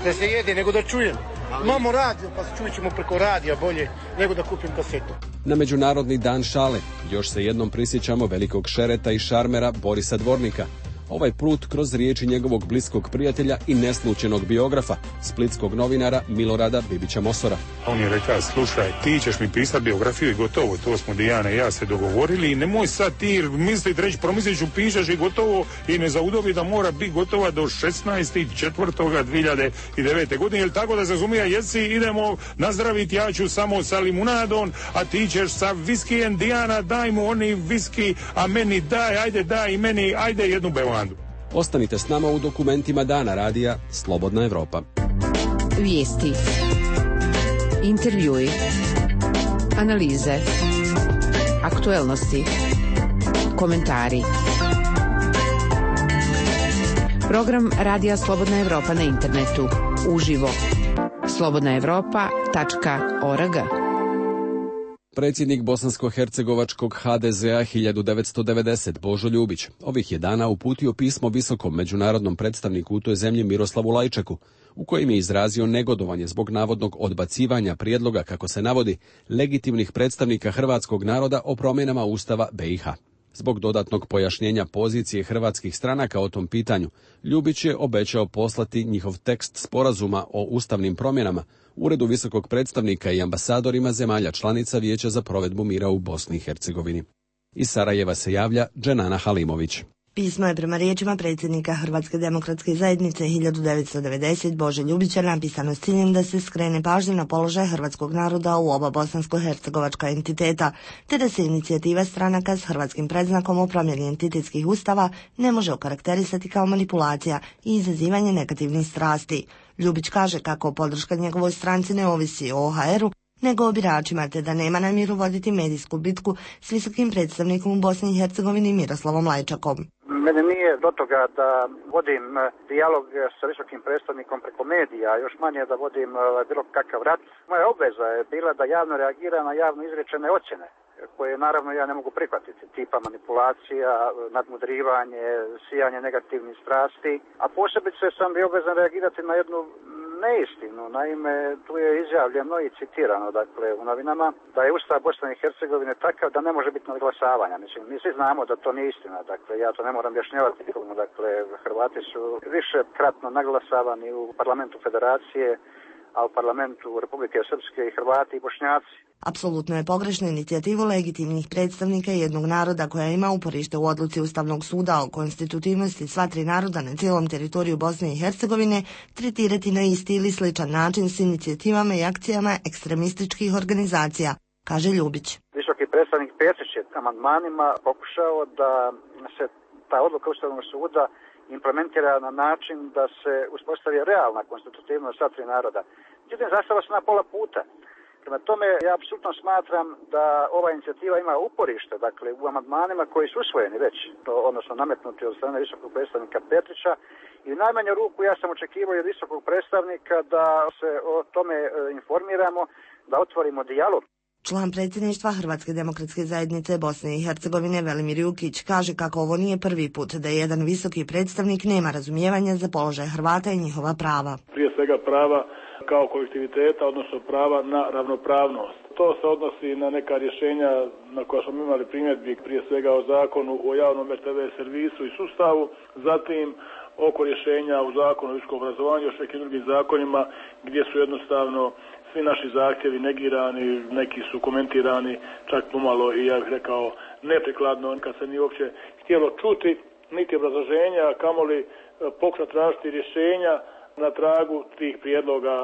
Da se jede nego da čujem. Imamo radio, pa čujet ćemo preko radija bolje nego da kupim kasetu. Na Međunarodni dan šale još se jednom prisjećamo velikog šereta i šarmera Borisa Dvornika. Ovaj put kroz riječi njegovog bliskog prijatelja i neslučenog biografa, splitskog novinara Milorada Bibića Mosora. On je rekao, slušaj, ti ćeš mi pisati biografiju i gotovo, to smo Dijana i ja se dogovorili i nemoj sad ti misliti, reći, promislit ću, pišeš i gotovo i ne zaudovi da mora biti gotova do 16.4.2009. godine, jer tako da se razumije, jesi, idemo nazdraviti, ja ću samo sa limunadom, a ti ćeš sa viskijem, Dijana, daj mu oni viski, a meni daj i meni, ajde jednu bevandu. Ostanite s nama u Dokumentima dana Radija Slobodna Evropa. Vijesti, intervjui, analize, aktuelnosti, komentari. Program Radija Slobodna Evropa na internetu, uživo, slobodnaevropa.org. Predsjednik bosansko-hercegovačkog HDZ-a 1990 Božo Ljubić ovih je dana uputio pismo visokom međunarodnom predstavniku u toj zemlji Miroslavu Lajčaku, u kojem je izrazio negodovanje zbog navodnog odbacivanja prijedloga, kako se navodi, legitimnih predstavnika hrvatskog naroda o promjenama Ustava BiH. Zbog dodatnog pojašnjenja pozicije hrvatskih stranaka o tom pitanju, Ljubić je obećao poslati njihov tekst sporazuma o ustavnim promjenama Uredu visokog predstavnika i ambasadorima zemalja članica Vijeća za provedbu mira u Bosni i Hercegovini. Iz Sarajeva se javlja Dženana Halimović. Pismo je prema riječima predsjednika Hrvatske demokratske zajednice 1990 Bože Ljubića napisano s ciljem da se skrene pažnja na položaj hrvatskog naroda u oba bosansko-hercegovačka entiteta, te da se inicijativa stranaka s hrvatskim predznakom o promjeni entitetskih ustava ne može okarakterisati kao manipulacija i izazivanje negativnih strasti. Ljubić kaže kako podrška njegovoj stranci ne ovisi o OHR-u, nego o biračima, te da nema namjeru voditi medijsku bitku s visokim predstavnikom u Bosni i Hercegovini Miroslavom Lajčakom. Mene nije do toga da vodim dijalog sa visokim predstavnikom preko medija, još manje da vodim bilo kakav rat. Moja obveza je bila da javno reagira na javno izrečene ocjene, koje naravno ja ne mogu prihvatiti, tipa manipulacija, nadmudrivanje, sijanje negativnih strasti, a posebice sam bio obvezan reagirati na jednu neistinu. Naime, tu je izjavljeno i citirano, dakle, u novinama, da je Ustav Bosne i Hercegovine takav da ne može biti nadglasavanja. Mislim, mi svi znamo da to nije istina, dakle, ja to ne moram objašnjavati nikomu, dakle, Hrvati su više kratno naglasavani u parlamentu Federacije, a u parlamentu Republike Srpske i Hrvati i Bošnjaci. Apsolutno je pogrešno inicijativu legitimnih predstavnika jednog naroda koja ima uporište u odluci Ustavnog suda o konstitutivnosti sva tri naroda na cijelom teritoriju Bosne i Hercegovine tretirati na isti ili sličan način s inicijativama i akcijama ekstremističkih organizacija, kaže Ljubić. Visoki predstavnik Petrić je amandmanima pokušao da se ta odluka Ustavnog suda implementira na način da se uspostavi realna konstitutivnost sva tri naroda. Međutim, zastava se na pola puta. Prema tome, ja apsolutno smatram da ova inicijativa ima uporište, dakle, u amandmanima koji su usvojeni već, odnosno nametnuti od strane visokog predstavnika Petrića, i u najmanju ruku ja sam očekivao od visokog predstavnika da se o tome informiramo, da otvorimo dijalog. Član predsjedništva Hrvatske demokratske zajednice Bosne i Hercegovine Velimir Jukić kaže kako ovo nije prvi put da jedan visoki predstavnik nema razumijevanja za položaj Hrvata i njihova prava. Prije svega prava kao kolektiviteta, odnosno prava na ravnopravnost. To se odnosi na neka rješenja na koja smo imali primjedbi, prije svega o zakonu o javnom RTV servisu i sustavu, zatim oko rješenja u zakonu o visokom obrazovanju, još nekim drugim zakonima gdje su jednostavno svi naši zahtjevi negirani, neki su komentirani čak pomalo i ja bih rekao neprikladno, kad se nije uopće htjelo čuti niti obrazloženja, kamoli pokušati tražiti rješenja na tragu tih prijedloga.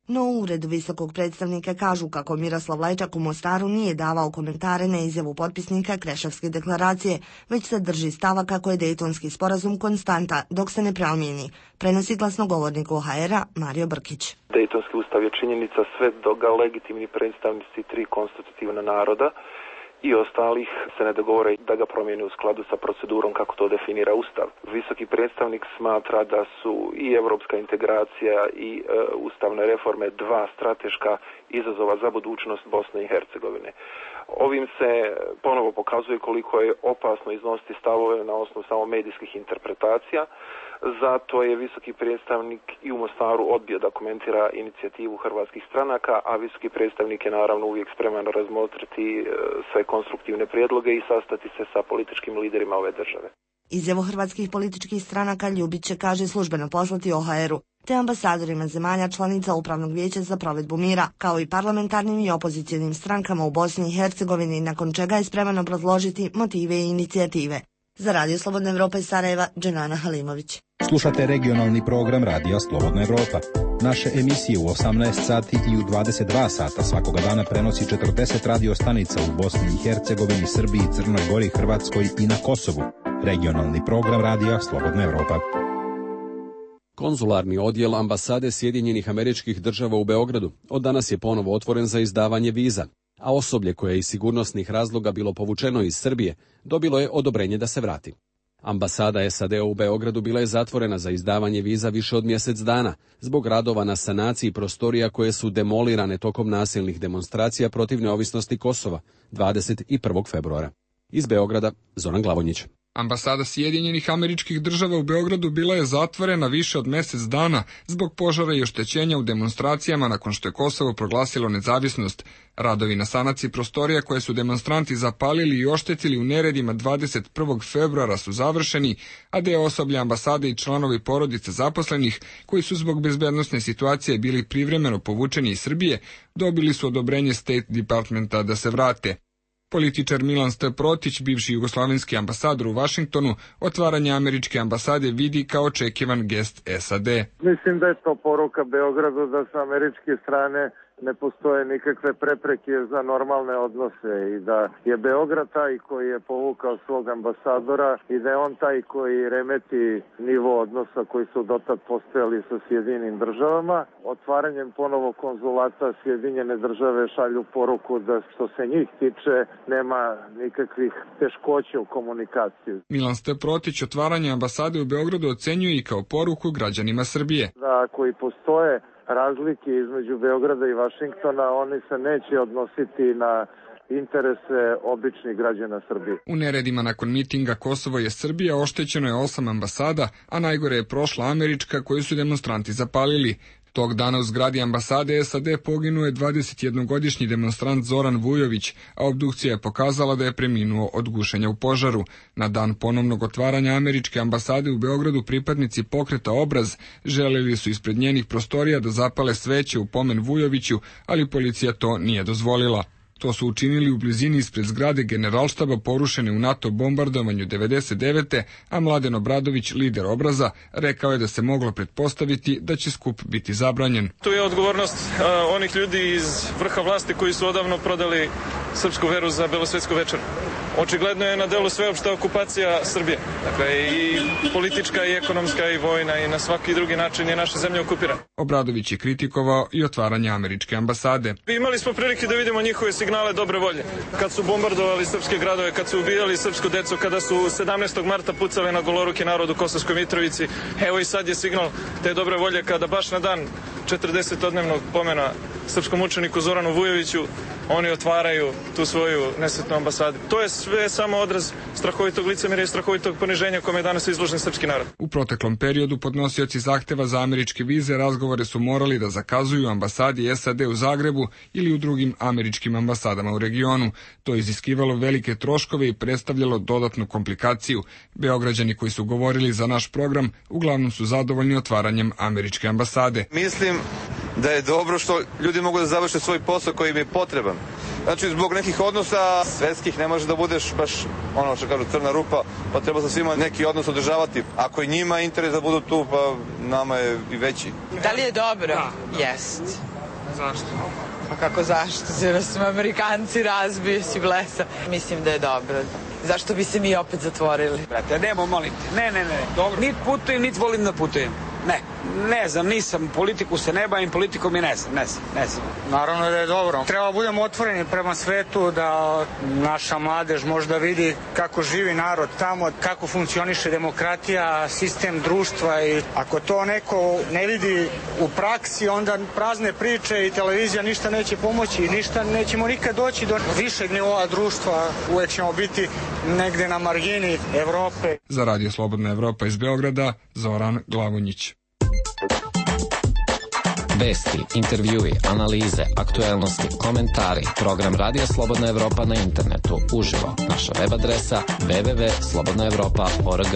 No u uredu visokog predstavnika kažu kako Miroslav Lajčak u Mostaru nije davao komentare na izjavu potpisnika Kreševske deklaracije, već se drži stava kako je Dejtonski sporazum konstanta dok se ne promijeni. Prenosi glasnogovornik OHR-a Mario Brkić. Dejtonski ustav je činjenica sve dok ga legitimni predstavnici tri konstitutivna naroda i ostalih se ne dogovore da ga promijene u skladu sa procedurom kako to definira Ustav. Visoki predstavnik smatra da su i europska integracija i ustavne reforme dva strateška izazova za budućnost Bosne i Hercegovine. Ovim se ponovo pokazuje koliko je opasno iznositi stavove na osnovu samo medijskih interpretacija. Zato je visoki predstavnik i u Mostaru odbio da komentira inicijativu hrvatskih stranaka, a visoki predstavnik je naravno uvijek spreman razmotriti sve konstruktivne prijedloge i sastati se sa političkim liderima ove države. Izjavu hrvatskih političkih stranaka Ljubić će, kaže, službeno poslati OHR-u te ambasadorima zemalja članica Upravnog vijeća za provedbu mira, kao i parlamentarnim i opozicionim strankama u Bosni i Hercegovini, nakon čega je spreman obrazložiti motive i inicijative. Za Radio Slobodna Evropa iz Sarajeva, Dženana Halimović. Slušate regionalni program Radija Slobodna Evropa. Naše emisije u 18 sati i u 22 sata svakoga dana prenosi 40 radio stanica u Bosni i Hercegovini, Srbiji, Crnoj Gori, Hrvatskoj i na Kosovu. Regionalni program Radija Slobodna Evropa. Konzularni odjel ambasade Sjedinjenih Američkih Država u Beogradu od danas je ponovo otvoren za izdavanje viza, a osoblje koje je iz sigurnosnih razloga bilo povučeno iz Srbije dobilo je odobrenje da se vrati. Ambasada SAD-a u Beogradu bila je zatvorena za izdavanje viza više od mjesec dana zbog radova na sanaciji prostorija koje su demolirane tokom nasilnih demonstracija protiv neovisnosti Kosova 21. februara. Iz Beograda, Zoran Glavonjić. Ambasada Sjedinjenih Američkih Država u Beogradu bila je zatvorena više od mjesec dana zbog požara i oštećenja u demonstracijama nakon što je Kosovo proglasilo nezavisnost. Radovi na sanaciji prostorija koje su demonstranti zapalili i oštetili u neredima 21. februara su završeni, a deo osoblja ambasade i članovi porodice zaposlenih, koji su zbog bezbednosne situacije bili privremeno povučeni iz Srbije, dobili su odobrenje State Departmenta da se vrate. Političar Milan Protić, bivši jugoslavenski ambasador u Vašingtonu, otvaranje američke ambasade vidi kao očekivan gest SAD. Mislim da je to poruka Beogradu da sa američke strane ne postoje nikakve prepreke za normalne odnose i da je Beograd taj koji je povukao svog ambasadora i da je on taj koji remeti nivo odnosa koji su dotad postojali sa Sjedinjenim državama. Otvaranjem ponovo konzulata Sjedinjene države šalju poruku da što se njih tiče nema nikakvih teškoća u komunikaciji. Milan Steprotić otvaranje ambasade u Beogradu ocenjuje i kao poruku građanima Srbije. Da ako i postoje razlike između Beograda i Vašingtona, oni se neće odnositi na interese običnih građana Srbije. U neredima nakon mitinga Kosovo je Srbija oštećeno je 8 ambasada, a najgore je prošla američka koju su demonstranti zapalili. Tog dana u zgradi ambasade SAD poginuo je 21-godišnji demonstrant Zoran Vujović, a obdukcija je pokazala da je preminuo od gušenja u požaru. Na dan ponovnog otvaranja američke ambasade u Beogradu pripadnici pokreta Obraz želeli su ispred njenih prostorija da zapale sveće u pomen Vujoviću, ali policija to nije dozvolila. To su učinili u blizini ispred zgrade Generalštaba porušene u NATO bombardovanju 99. a Mladen Obradović, lider Obraza, rekao je da se moglo pretpostaviti da će skup biti zabranjen. Tu je odgovornost onih ljudi iz vrha vlasti koji su odavno prodali srpsku veru za belosvetsku večer. Očigledno je na delu sveopšta okupacija Srbije. Dakle, i politička, i ekonomska, i vojna, i na svaki drugi način je naša zemlja okupirana. Obradović je kritikovao i otvaranje američke ambasade. Imali smo prilike da vidimo njihove signale dobre volje. Kad su bombardovali srpske gradove, kad su ubijali srpsku decu, kada su 17. marta pucali na goloruki narod u Kosovskoj Mitrovici. Evo i sad je signal te dobre volje kada baš na dan 40-odnevnog pomena srpskom učeniku Zoranu Vujoviću oni otvaraju tu svoju nesretnu ambasadu. To je sve samo odraz strahovitog licemerja i strahovitog poniženja kome je danas izložen srpski narod. U proteklom periodu podnosioci zahteva za američke vize razgovore su morali da zakazuju ambasadi SAD u Zagrebu ili u drugim američkim ambasadama u regionu. To je iziskivalo velike troškove i predstavljalo dodatnu komplikaciju. Beograđani koji su govorili za naš program uglavnom su zadovoljni otvaranjem američke ambasade. Mislim da je dobro što ljudi mogu da završe svoj posao koji im je potreban. Znači, zbog nekih odnosa svetskih ne može da budeš baš ono što kažu crna rupa, pa treba sa svima neki odnos održavati. Ako je njima interes da budu tu, pa nama je i veći. Da li je dobro? Da. Jest. Zašto? Pa kako zašto? Jer smo Amerikanci, razbiju si blesa. Mislim da je dobro. Zašto bi se mi opet zatvorili? Brate, nemo, molim te. Ne. Dobro. Nit putujem, nit volim da putujem. Ne znam, nisam, politiku se ne bavim, politikom je ne znam. Naravno da je dobro. Treba budemo otvoreni prema svetu, da naša mladež možda vidi kako živi narod tamo, kako funkcioniše demokratija, sistem društva i ako to neko ne vidi u praksi, onda prazne priče i televizija ništa neće pomoći, ništa nećemo nikad doći do višeg nivoa društva, uvek ćemo biti negde na margini Evrope. Za Radio Slobodna Evropa iz Beograda, Zoran Glavonjić. Vesti, intervjui, analize, aktuelnosti, komentari, program Radija Slobodna Evropa na internetu, uživo, naša web adresa www.slobodnaevropa.org.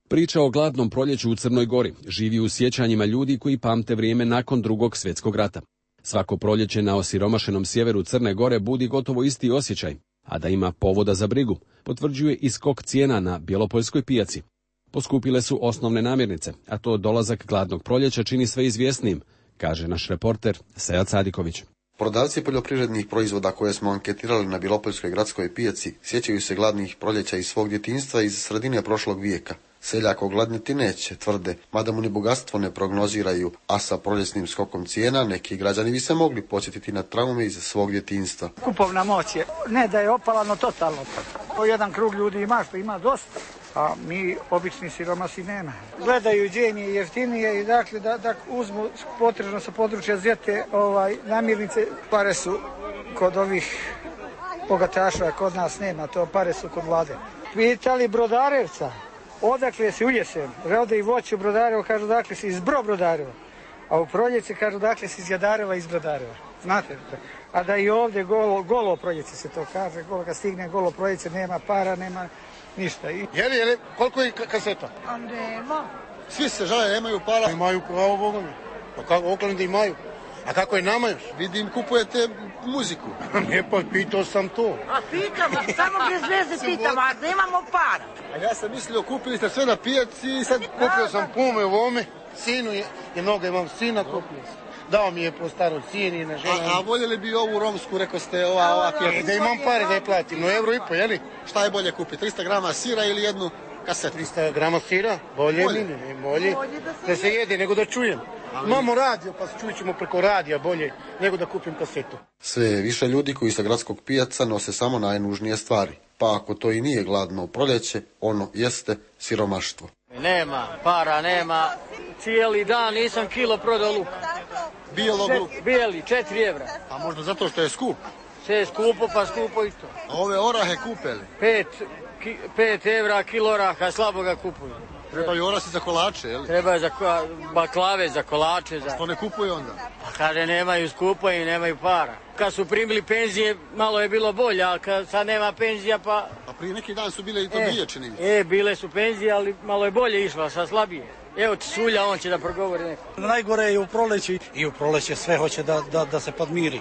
Priča o gladnom proljeću u Crnoj Gori živi u sjećanjima ljudi koji pamte vrijeme nakon Drugog svjetskog rata. Svako proljeće na osiromašenom sjeveru Crne Gore budi gotovo isti osjećaj, a da ima povoda za brigu, potvrđuje i skok cijena na Bjelopoljskoj pijaci. Poskupile su osnovne namirnice, a to dolazak gladnog proljeća čini sve izvjesnijim, kaže naš reporter Sead Sadiković. Prodavci poljoprivrednih proizvoda koje smo anketirali na Bjelopoljskoj gradskoj pijaci sjećaju se gladnih proljeća iz svog djetinjstva iz sredine prošlog vijeka. Seljak ogladniti neće, tvrde, mada mu ni bogatstvo ne prognoziraju, a sa proljesnim skokom cijena neki građani bi se mogli podsjetiti na traume iz svog djetinjstva. Kupovna moć je, ne da je opala, no totalno. Jedan krug ljudi ima što ima dosta, a mi obični siromasi nema. Gledaju gdje im je jeftinije i dakle da uzmu potrebno sa područja Zete namirnice, pare su kod ovih bogataša, kod nas nema, to pare su kod vlade. Pitali Brodarevca, odakle si u jesen, rode i voće u Brodarevo, kažu dakle si iz Brodareva, a u proljeće kažu dakle si iz Jadareva, iz Brodareva. Znate, a da i ovdje golo proljeće se to kaže, kad stigne golo proljeće nema para, nema ništa. Jeli, koliko je kaseta? Nema. Svi se žale, nemaju para. Imaju pravo Bogom. Pa kako, Oakland imaju. A kako je nama još? Vidim, kupujete muziku. Ne, pa pitao sam to. A pitamo, samo bez veze pitamo, a nemamo para. A ja sam mislio, kupili ste sve na pijaci i sad kupio sam pume u ovome. Sinu je mnogo, imam sina, dao mi je po starom sinina, žena. A voljeli bi ovu romsku, rekao ste, ova pjeta? Da imam pare da je platim, no €1,5, jeli? Šta je bolje kupiti, 300 grama sira ili jednu kasetu? 300 grama sira, bolje. Da se jede nego da čujem. Imamo radio, pa čujet ćemo preko radija bolje nego da kupim kasetu. Sve više ljudi koji sa gradskog pijaca nose samo najnužnije stvari. Pa ako to i nije gladno proljeće, ono jeste siromaštvo. Nema, para nema. Cijeli dan nisam kilo prodao luka. Bijelog luka? Bijeli, 4 evra. A možda zato što je skup? Sve je skupo, pa skupo i to. A ove orahe kupeli? 5 evra kilo oraha, slabo ga kupuju. Trebaju orasi za kolače, jel? Treba za baklave, za kolače. A što ne kupuju onda? Pa kaže, nemaju skupo i nemaju para. Kad su primili penzije, malo je bilo bolje, ali kad sad nema penzija, pa... A prije neki dan su bile i to dvije, čini mi se. Bile su penzije, ali malo je bolje išla, sad slabije. Evo ti Sulja, on će da progovori neko. Najgore je u proleći. I u proleći sve hoće da se podmiri.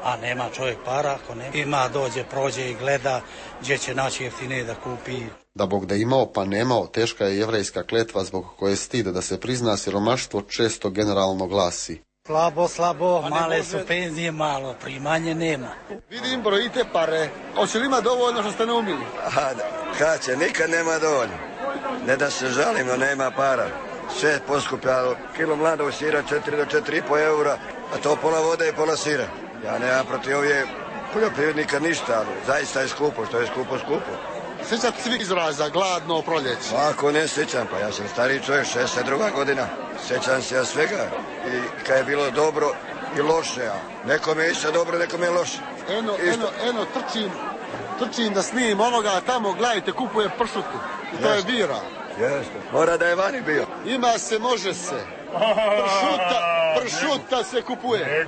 A nema čovjek para, ako nema. Ima, dođe, prođe i gleda gdje će naći jeftinije da kupi. Da Bog da imao pa nemao, teška je jevrejska kletva zbog koje stid da se prizna siromaštvo često generalno glasi. Slabo, male su penzije, malo, primanje nema. Vidim, brojite pare. Hoće li ima dovoljno što ste naumili? Kad će, nikad nema dovoljno. Ne da se žalim, no nema para. Sve poskupljalo, kilo mladog sira 4 do 4,5 eura, a to pola vode i pola sira. Ja nemam protiv ovdje poljoprivrednika ništa, ali zaista je skupo, što je skupo. Sjećate svi izraza, gladno proljeće? Ako ne sjećam, pa ja sam stariji čovjek, 62 godina. Sjećam se ja svega i kad je bilo dobro i loše, a nekome je išta dobro, nekome je loše. Eno, trčim da snim onoga tamo, gledajte, kupuje pršutu. I to je bira. Jeste, mora da je vani bio. Ima se, može se. Pršuta se kupuje.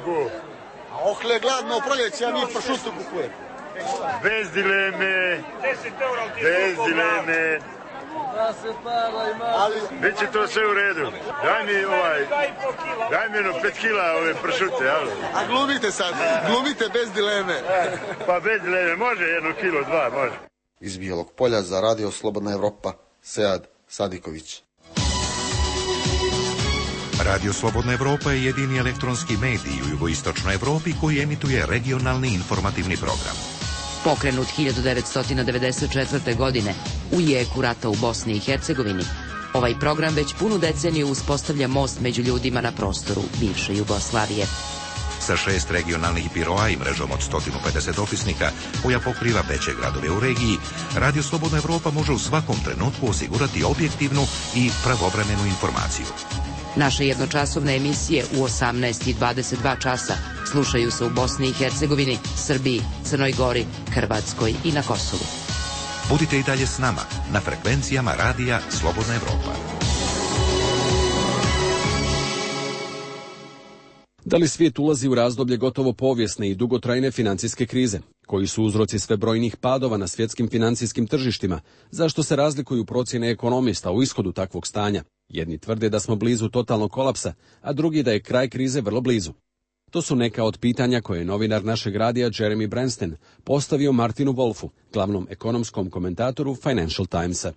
A ohle gladno proljeće, ja mi pršutu kupujem. Bez dileme. Da se para ima. Biće to sve u redu. Daj mi 5 kila ove pršute, jel? A glumite sad, glumite bez dileme. Pa bez dileme, može 1 kilo, 2, može. Iz Bijelog Polja za Radio Slobodna Evropa, Sead Sadiković. Radio Slobodna Evropa je jedini elektronski medij u jugoistočnoj Evropi koji emituje regionalni informativni program. Pokrenut 1994. godine u jeku rata u Bosni i Hercegovini, ovaj program već punu deceniju uspostavlja most među ljudima na prostoru bivše Jugoslavije. Sa 6 regionalnih biroa i mrežom od 150 opisnika koja pokriva veće gradove u regiji, Radio Slobodna Evropa može u svakom trenutku osigurati objektivnu i pravovremenu informaciju. Naše jednočasovne emisije u 18 i 22 časa slušaju se u Bosni i Hercegovini, Srbiji, Crnoj Gori, Hrvatskoj i na Kosovu. Budite i dalje s nama na frekvencijama Radija Slobodna Evropa. Da li svijet ulazi u razdoblje gotovo povijesne i dugotrajne financijske krize? Koji su uzroci sve brojnih padova na svjetskim financijskim tržištima? Zašto se razlikuju procjene ekonomista u ishodu takvog stanja? Jedni tvrde da smo blizu totalnog kolapsa, a drugi da je kraj krize vrlo blizu. To su neka od pitanja koje je novinar našeg radija Jeremy Bransten postavio Martinu Wolfu, glavnom ekonomskom komentatoru Financial Timesa.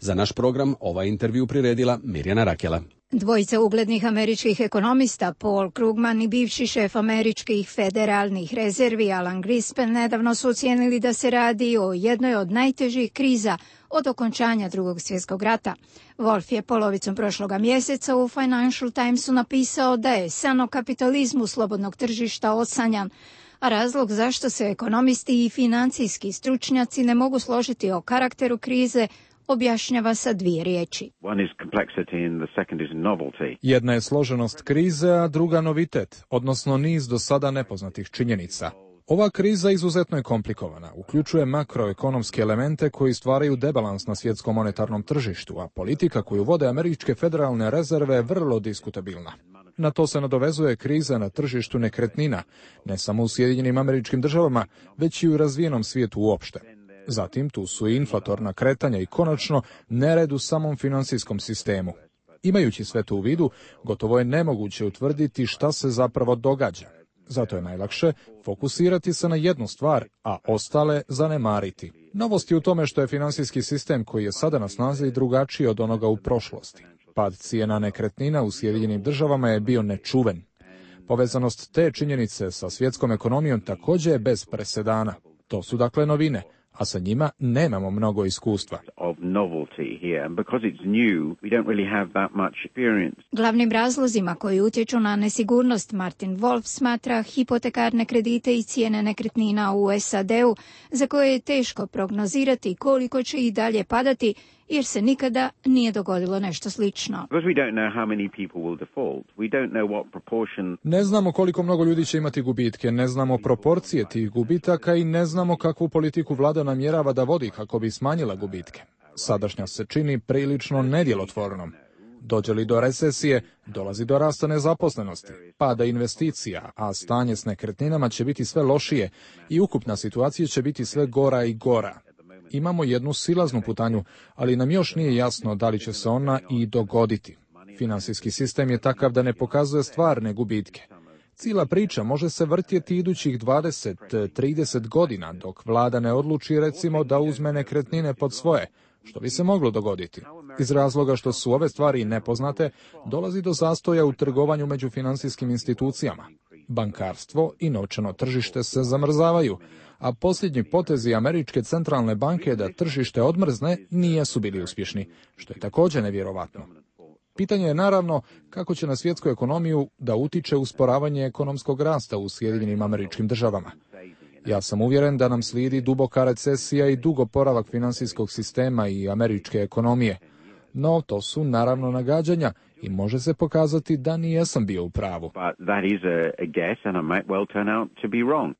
Za naš program ovaj intervju priredila Mirjana Rakela. Dvojica uglednih američkih ekonomista, Paul Krugman i bivši šef američkih federalnih rezervi Alan Greenspan, nedavno su ocijenili da se radi o jednoj od najtežih kriza od okončanja Drugog svjetskog rata. Wolf je polovicom prošloga mjeseca u Financial Timesu napisao da je san o kapitalizmu slobodnog tržišta osanjan, a razlog zašto se ekonomisti i financijski stručnjaci ne mogu složiti o karakteru krize objašnjava sa 2 riječi. Jedna je složenost krize, a druga novitet, odnosno niz do sada nepoznatih činjenica. Ova kriza izuzetno je komplikovana, uključuje makroekonomske elemente koji stvaraju debalans na svjetskom monetarnom tržištu, a politika koju vode američke federalne rezerve je vrlo diskutabilna. Na to se nadovezuje kriza na tržištu nekretnina, ne samo u Sjedinjenim Američkim Državama, već i u razvijenom svijetu uopšte. Zatim tu su i inflatorna kretanja i konačno nered u samom financijskom sistemu. Imajući sve to u vidu, gotovo je nemoguće utvrditi šta se zapravo događa. Zato je najlakše fokusirati se na jednu stvar, a ostale zanemariti. Novost je u tome što je financijski sistem koji je sada na snazi drugačiji od onoga u prošlosti. Pad cijena nekretnina u Sjedinjenim državama je bio nečuven. Povezanost te činjenice sa svjetskom ekonomijom također je bez presedana. To su dakle novine, a sa njima nemamo mnogo iskustva. Glavnim razlozima koji utječu na nesigurnost Martin Wolf smatra hipotekarne kredite i cijene nekretnina u SAD-u, za koje je teško prognozirati koliko će i dalje padati, jer se nikada nije dogodilo nešto slično. Ne znamo koliko mnogo ljudi će imati gubitke, ne znamo proporcije tih gubitaka i ne znamo kakvu politiku vlada namjerava da vodi kako bi smanjila gubitke. Sadašnja se čini prilično nedjelotvornom. Dođe li do recesije, dolazi do rasta nezaposlenosti, pada investicija, a stanje s nekretninama će biti sve lošije i ukupna situacija će biti sve gora i gora. Imamo jednu silaznu putanju, ali nam još nije jasno da li će se ona i dogoditi. Finansijski sistem je takav da ne pokazuje stvarne gubitke. Cijela priča može se vrtjeti idućih 20-30 godina, dok vlada ne odluči recimo da uzme nekretnine pod svoje, što bi se moglo dogoditi. Iz razloga što su ove stvari nepoznate, dolazi do zastoja u trgovanju među financijskim institucijama. Bankarstvo i novčano tržište se zamrzavaju, a posljednji potezi Američke centralne banke da tržište odmrzne nisu bili uspješni, što je također nevjerovatno. Pitanje je naravno kako će na svjetsku ekonomiju da utiče usporavanje ekonomskog rasta u Sjedinjenim Američkim Državama. Ja sam uvjeren da nam slijedi duboka recesija i dug oporavak financijskog sistema i američke ekonomije. No, to su naravno nagađanja i može se pokazati da nijesam bio u pravu.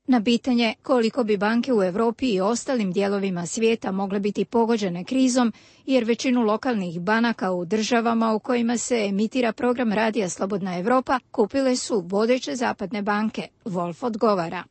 Na pitanje koliko bi banke u Europi i ostalim dijelovima svijeta mogle biti pogođene krizom, jer većinu lokalnih banaka u državama u kojima se emitira program Radija Slobodna Europa kupile su vodeće zapadne banke. Wolf odgovara.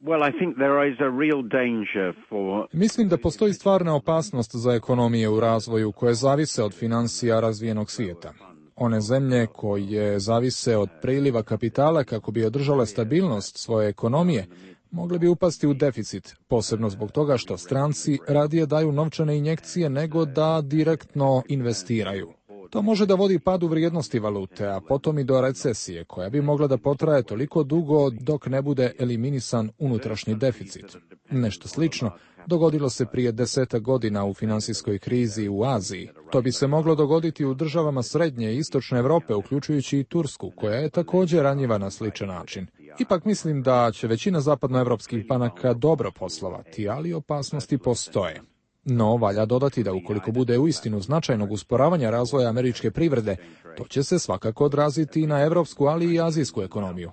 Mislim da postoji stvarna opasnost za ekonomije u razvoju koje zavise od financija razvijenog svijeta. One zemlje koje zavise od priliva kapitala kako bi održale stabilnost svoje ekonomije, mogle bi upasti u deficit, posebno zbog toga što stranci radije daju novčane injekcije nego da direktno investiraju. To može da vodi padu vrijednosti valute, a potom i do recesije, koja bi mogla da potraje toliko dugo dok ne bude eliminisan unutrašnji deficit. Nešto slično dogodilo se prije 10 godina u financijskoj krizi u Aziji. To bi se moglo dogoditi u državama Srednje i Istočne Europe, uključujući i Tursku, koja je također ranjiva na sličan način. Ipak mislim da će većina zapadnoevropskih banaka dobro poslovati, ali opasnosti postoje. No, valja dodati da ukoliko bude uistinu značajnog usporavanja razvoja američke privrede, to će se svakako odraziti i na evropsku, ali i azijsku ekonomiju.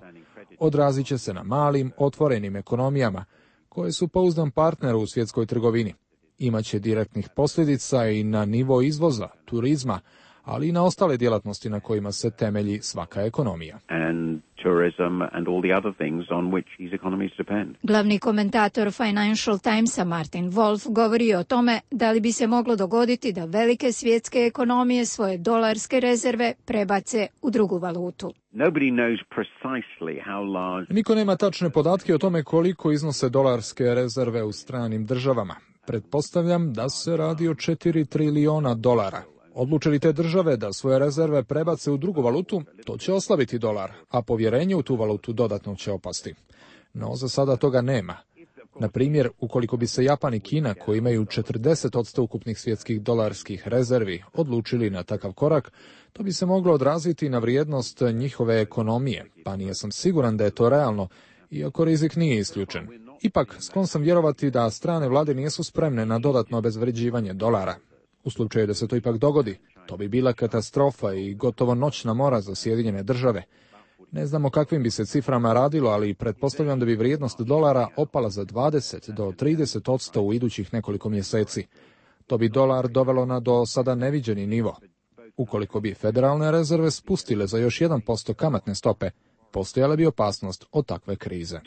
Odrazit će se na malim, otvorenim ekonomijama, koje su pouzdan partner u svjetskoj trgovini. Imaće direktnih posljedica i na nivo izvoza, turizma, ali i na ostale djelatnosti na kojima se temelji svaka ekonomija. Glavni komentator Financial Timesa Martin Wolf govori o tome da li bi se moglo dogoditi da velike svjetske ekonomije svoje dolarske rezerve prebace u drugu valutu. Niko nema tačne podatke o tome koliko iznose dolarske rezerve u stranim državama. Pretpostavljam da se radi o 4 trilijona dolara. Odluče li te države da svoje rezerve prebace u drugu valutu, to će oslabiti dolar, a povjerenje u tu valutu dodatno će opasti. No, za sada toga nema. Na primjer, ukoliko bi se Japan i Kina, koji imaju 40% ukupnih svjetskih dolarskih rezervi, odlučili na takav korak, to bi se moglo odraziti na vrijednost njihove ekonomije, pa nisam siguran da je to realno, iako rizik nije isključen. Ipak, sklon sam vjerovati da strane vlade nisu spremne na dodatno obezvređivanje dolara. U slučaju da se to ipak dogodi, to bi bila katastrofa i gotovo noćna mora za Sjedinjene Države. Ne znamo kakvim bi se ciframa radilo, ali pretpostavljam da bi vrijednost dolara opala za 20 do 30% u idućih nekoliko mjeseci. To bi dolar dovelo na do sada neviđeni nivo. Ukoliko bi federalne rezerve spustile za još 1% kamatne stope, postojala bi opasnost od takve krize.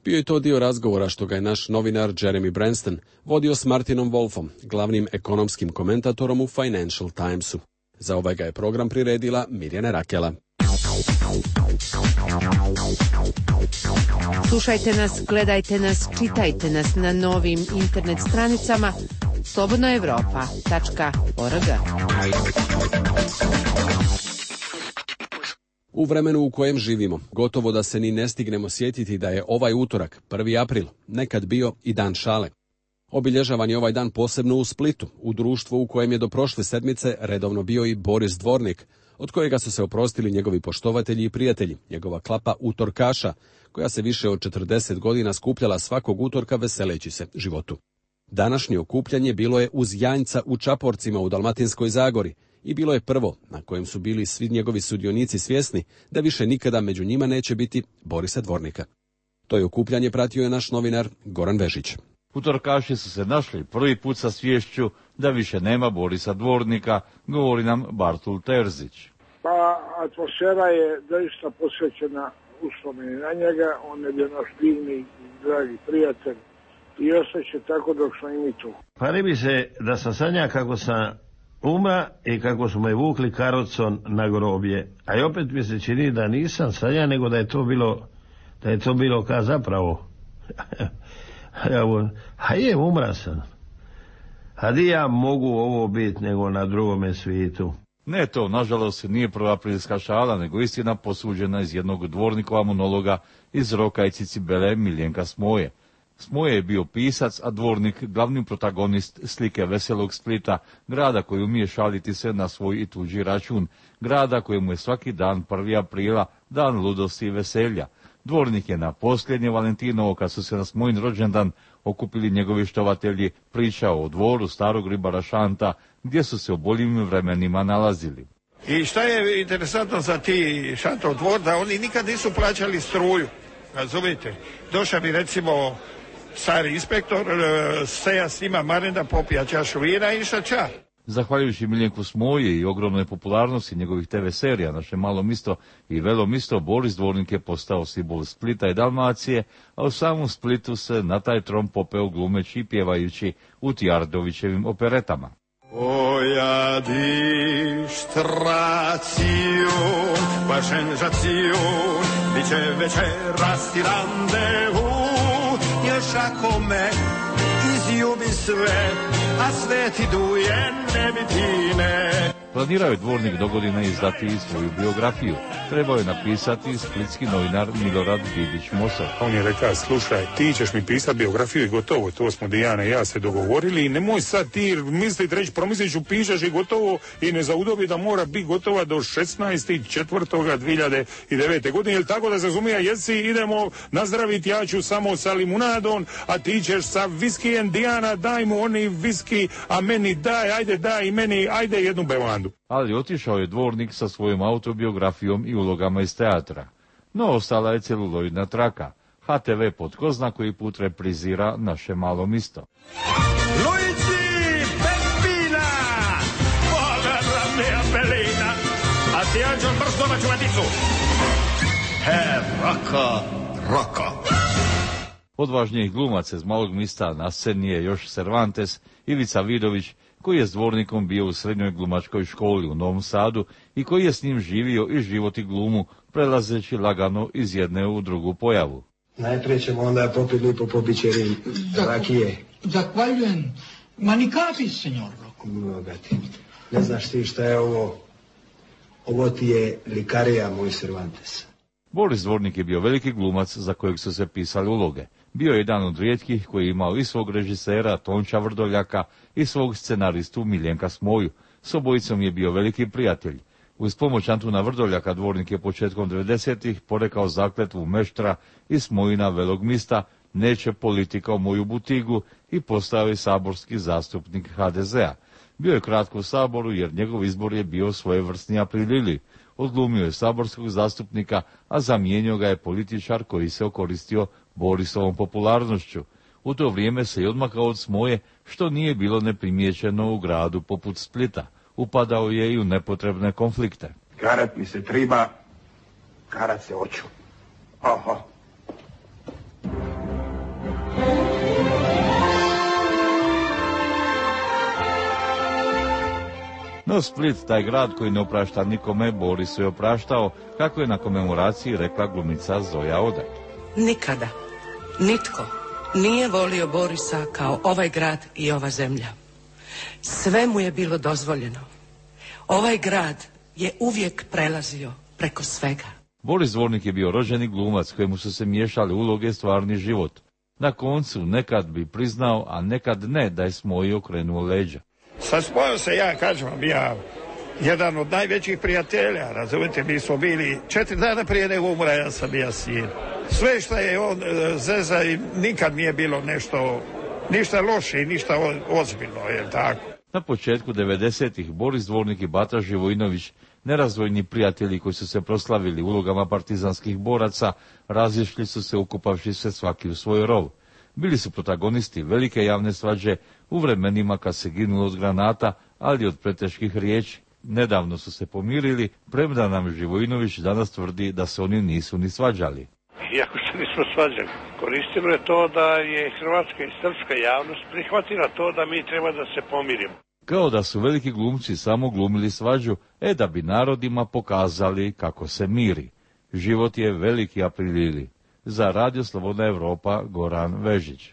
Bio je to dio razgovora što ga je naš novinar Jeremy Branston vodio s Martinom Wolfom, glavnim ekonomskim komentatorom u Financial Timesu. Za ovaj ga je program priredila Mirjana Rakela. Slušajte nas, gledajte nas, čitajte nas na novim internet stranicama slobodnaevropa.org. U vremenu u kojem živimo, gotovo da se ni ne stignemo sjetiti da je ovaj utorak, 1. april, nekad bio i dan šale. Obilježavan je ovaj dan posebno u Splitu, u društvu u kojem je do prošle sedmice redovno bio i Boris Dvornik, od kojega su se oprostili njegovi poštovatelji i prijatelji, njegova klapa utorkaša, koja se više od 40 godina skupljala svakog utorka veseleći se životu. Današnje okupljanje bilo je uz Janjca u Čaporcima u Dalmatinskoj Zagori i bilo je prvo na kojem su bili svi njegovi sudionici svjesni da više nikada među njima neće biti Borisa Dvornika. To je okupljanje pratio je naš novinar Goran Vežić. Utorkaši su se našli prvi put sa sviješću da više nema Borisa Dvornika, govori nam Bartul Terzić. Pa atmosfera je doista posvećena uspomeni na njega, on je bio naš divni i dragi prijatelj i ostaće tako dok smo i mi tu. Pari mi se da sam sanja kako sam umra i kako su me vukli karocom na groblje, a i opet mi se čini da nisam sanja, nego da je to bilo ka zapravo. A je, umra sam. A di ja mogu ovo biti nego na drugome svijetu? Ne, to nažalost nije prva aprilska šala, nego istina posuđena iz jednog Dvornikova monologa iz Roka i Cicibele Miljenka Smoje. Smoje je bio pisac, a Dvornik glavni protagonist slike veselog Splita, grada koji umije šaliti se na svoj i tuđi račun, grada kojemu je svaki dan 1. aprila dan ludosti i veselja. Dvornik je na posljednje Valentinovo, kad su se na Smojin rođendan okupili njegovi štovatelji, pričao o dvoru starog ribara Šanta, gdje su se u boljim vremenima nalazili. I šta je interesantno za ti Šantov dvor, da oni nikad nisu plaćali struju, razumijete? Došao bi recimo stari inspektor, seja s njima marenda, popija čašu vina i šača. Zahvaljujući Miljenku Smoje i ogromnoj popularnosti njegovih TV serija Naše malo misto i Velo misto, Boris Dvornik je postao simbol Splita i Dalmacije, a u samom Splitu se na taj tron popeo glumeći i pjevajući u Tjardovićevim operetama. Oja distracion, pašenžacion, bit će večeras i randevu, još ako me izljubi sve, a sve ti duje ne bi time. Planirao je Dvornik dogodine izdati i svoju biografiju. Trebao je napisati splitski novinar Milorad Didić-Mosor. On je rekao, slušaj, ti ćeš mi pisati biografiju i gotovo, to smo Dijana i ja se dogovorili i nemoj sad ti misliti, reći, promislit ću, pišeš i gotovo i ne zaudobi da mora biti gotova do 16.4.2009. godine, jer tako da se razumija, jesi, idemo nazdraviti, ja ću samo sa limunadom, a ti ćeš sa viskijem, Dijana, daj mu oni viski, a meni daj i meni, ajde jednu bevandu. Ali otišao je Dvornik sa svojom autobiografijom i ulogama iz teatra. No, ostala je celuloidna traka. HTV pod ko zna koji put reprizira Naše malo misto. Luigi Peppina, vola la mia bellina, a ti anđel brz domaću vaticu. Roko. Odvažnijih glumaca iz Malog mista na sceni je još Cervantes, Ivica Vidović, koji je s Dvornikom bio u srednjoj glumačkoj školi u Novom Sadu i koji je s njim živio i život i glumu, prelazeći lagano iz jedne u drugu pojavu. Najprije ćemo onda popiti lipo po bićeri rakije. Zahvaljujem. Ma ni kapi, senjor Roko. Bogati. Ne znaš ti šta je ovo? Ovo ti je likarija, moj Cervantes. Boris Dvornik je bio veliki glumac za kojeg su se pisali uloge. Bio je jedan od rijetkih koji je imao i svog režisera Tonča Vrdoljaka i svog scenaristu Miljenka Smoju. S obojicom je bio veliki prijatelj. Uz pomoć Antuna Vrdoljaka Dvornik je početkom 90-ih porekao zakletvu Meštra i Smojina Velog mista, neće politika u moju butigu, i postao je saborski zastupnik HDZ-a. Bio je kratko u Saboru jer njegov izbor je bio svojevrsni aprilili. Odglumio je saborskog zastupnika, a zamijenio ga je političar koji se okoristio Borisovom popularnošću. U to vrijeme se i odmakao od Smoje, što nije bilo neprimjećeno u gradu poput Splita. Upadao je i u nepotrebne konflikte. Karat mi se triba, karat se oću. Oho. No Split, taj grad koji ne oprašta nikome, Borisu je opraštao, kako je na komemoraciji rekla glumica Zoja Odak. Nikada nitko nije volio Borisa kao ovaj grad i ova zemlja. Sve mu je bilo dozvoljeno. Ovaj grad je uvijek prelazio preko svega. Boris Dvornik je bio rođeni glumac kojemu su se miješali uloge i stvarni život. Na koncu nekad bi priznao, a nekad ne, da je Smoji okrenuo leđa. Sa Smojom se ja, kažem vam, ja jedan od najvećih prijatelja, razumite, mi smo bili 4 dana prije nego umra, ja sam bio sin. Sve što je on zeza i nikad nije bilo ništa loše i ništa ozbiljno, je tako. Na početku 90-ih Boris Dvornik i Bata Živojinović, nerazdvojni prijatelji koji su se proslavili ulogama partizanskih boraca, razišli su se ukupavši se svaki u svoj rov. Bili su protagonisti velike javne svađe u vremenima kad se ginulo od granata, ali od preteških riječi. Nedavno su se pomirili, premda nam Živojinović danas tvrdi da se oni nisu ni svađali. Iako se nismo svađali, koristilo je to da je hrvatska i srpska javnost prihvatila to da mi treba da se pomirimo. Kao da su veliki glumci samo glumili svađu, da bi narodima pokazali kako se miri. Život je veliki aprilili. Za Radio Slobodna Evropa, Goran Vežić.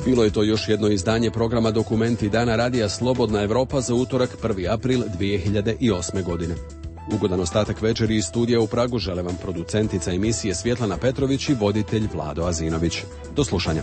Bilo je to još jedno izdanje programa Dokumenti dana Radija Slobodna Evropa za utorak 1. april 2008. godine. Ugodan ostatak večeri iz studija u Pragu žele vam producentica emisije Svjetlana Petrović i voditelj Vlado Azinović. Do slušanja.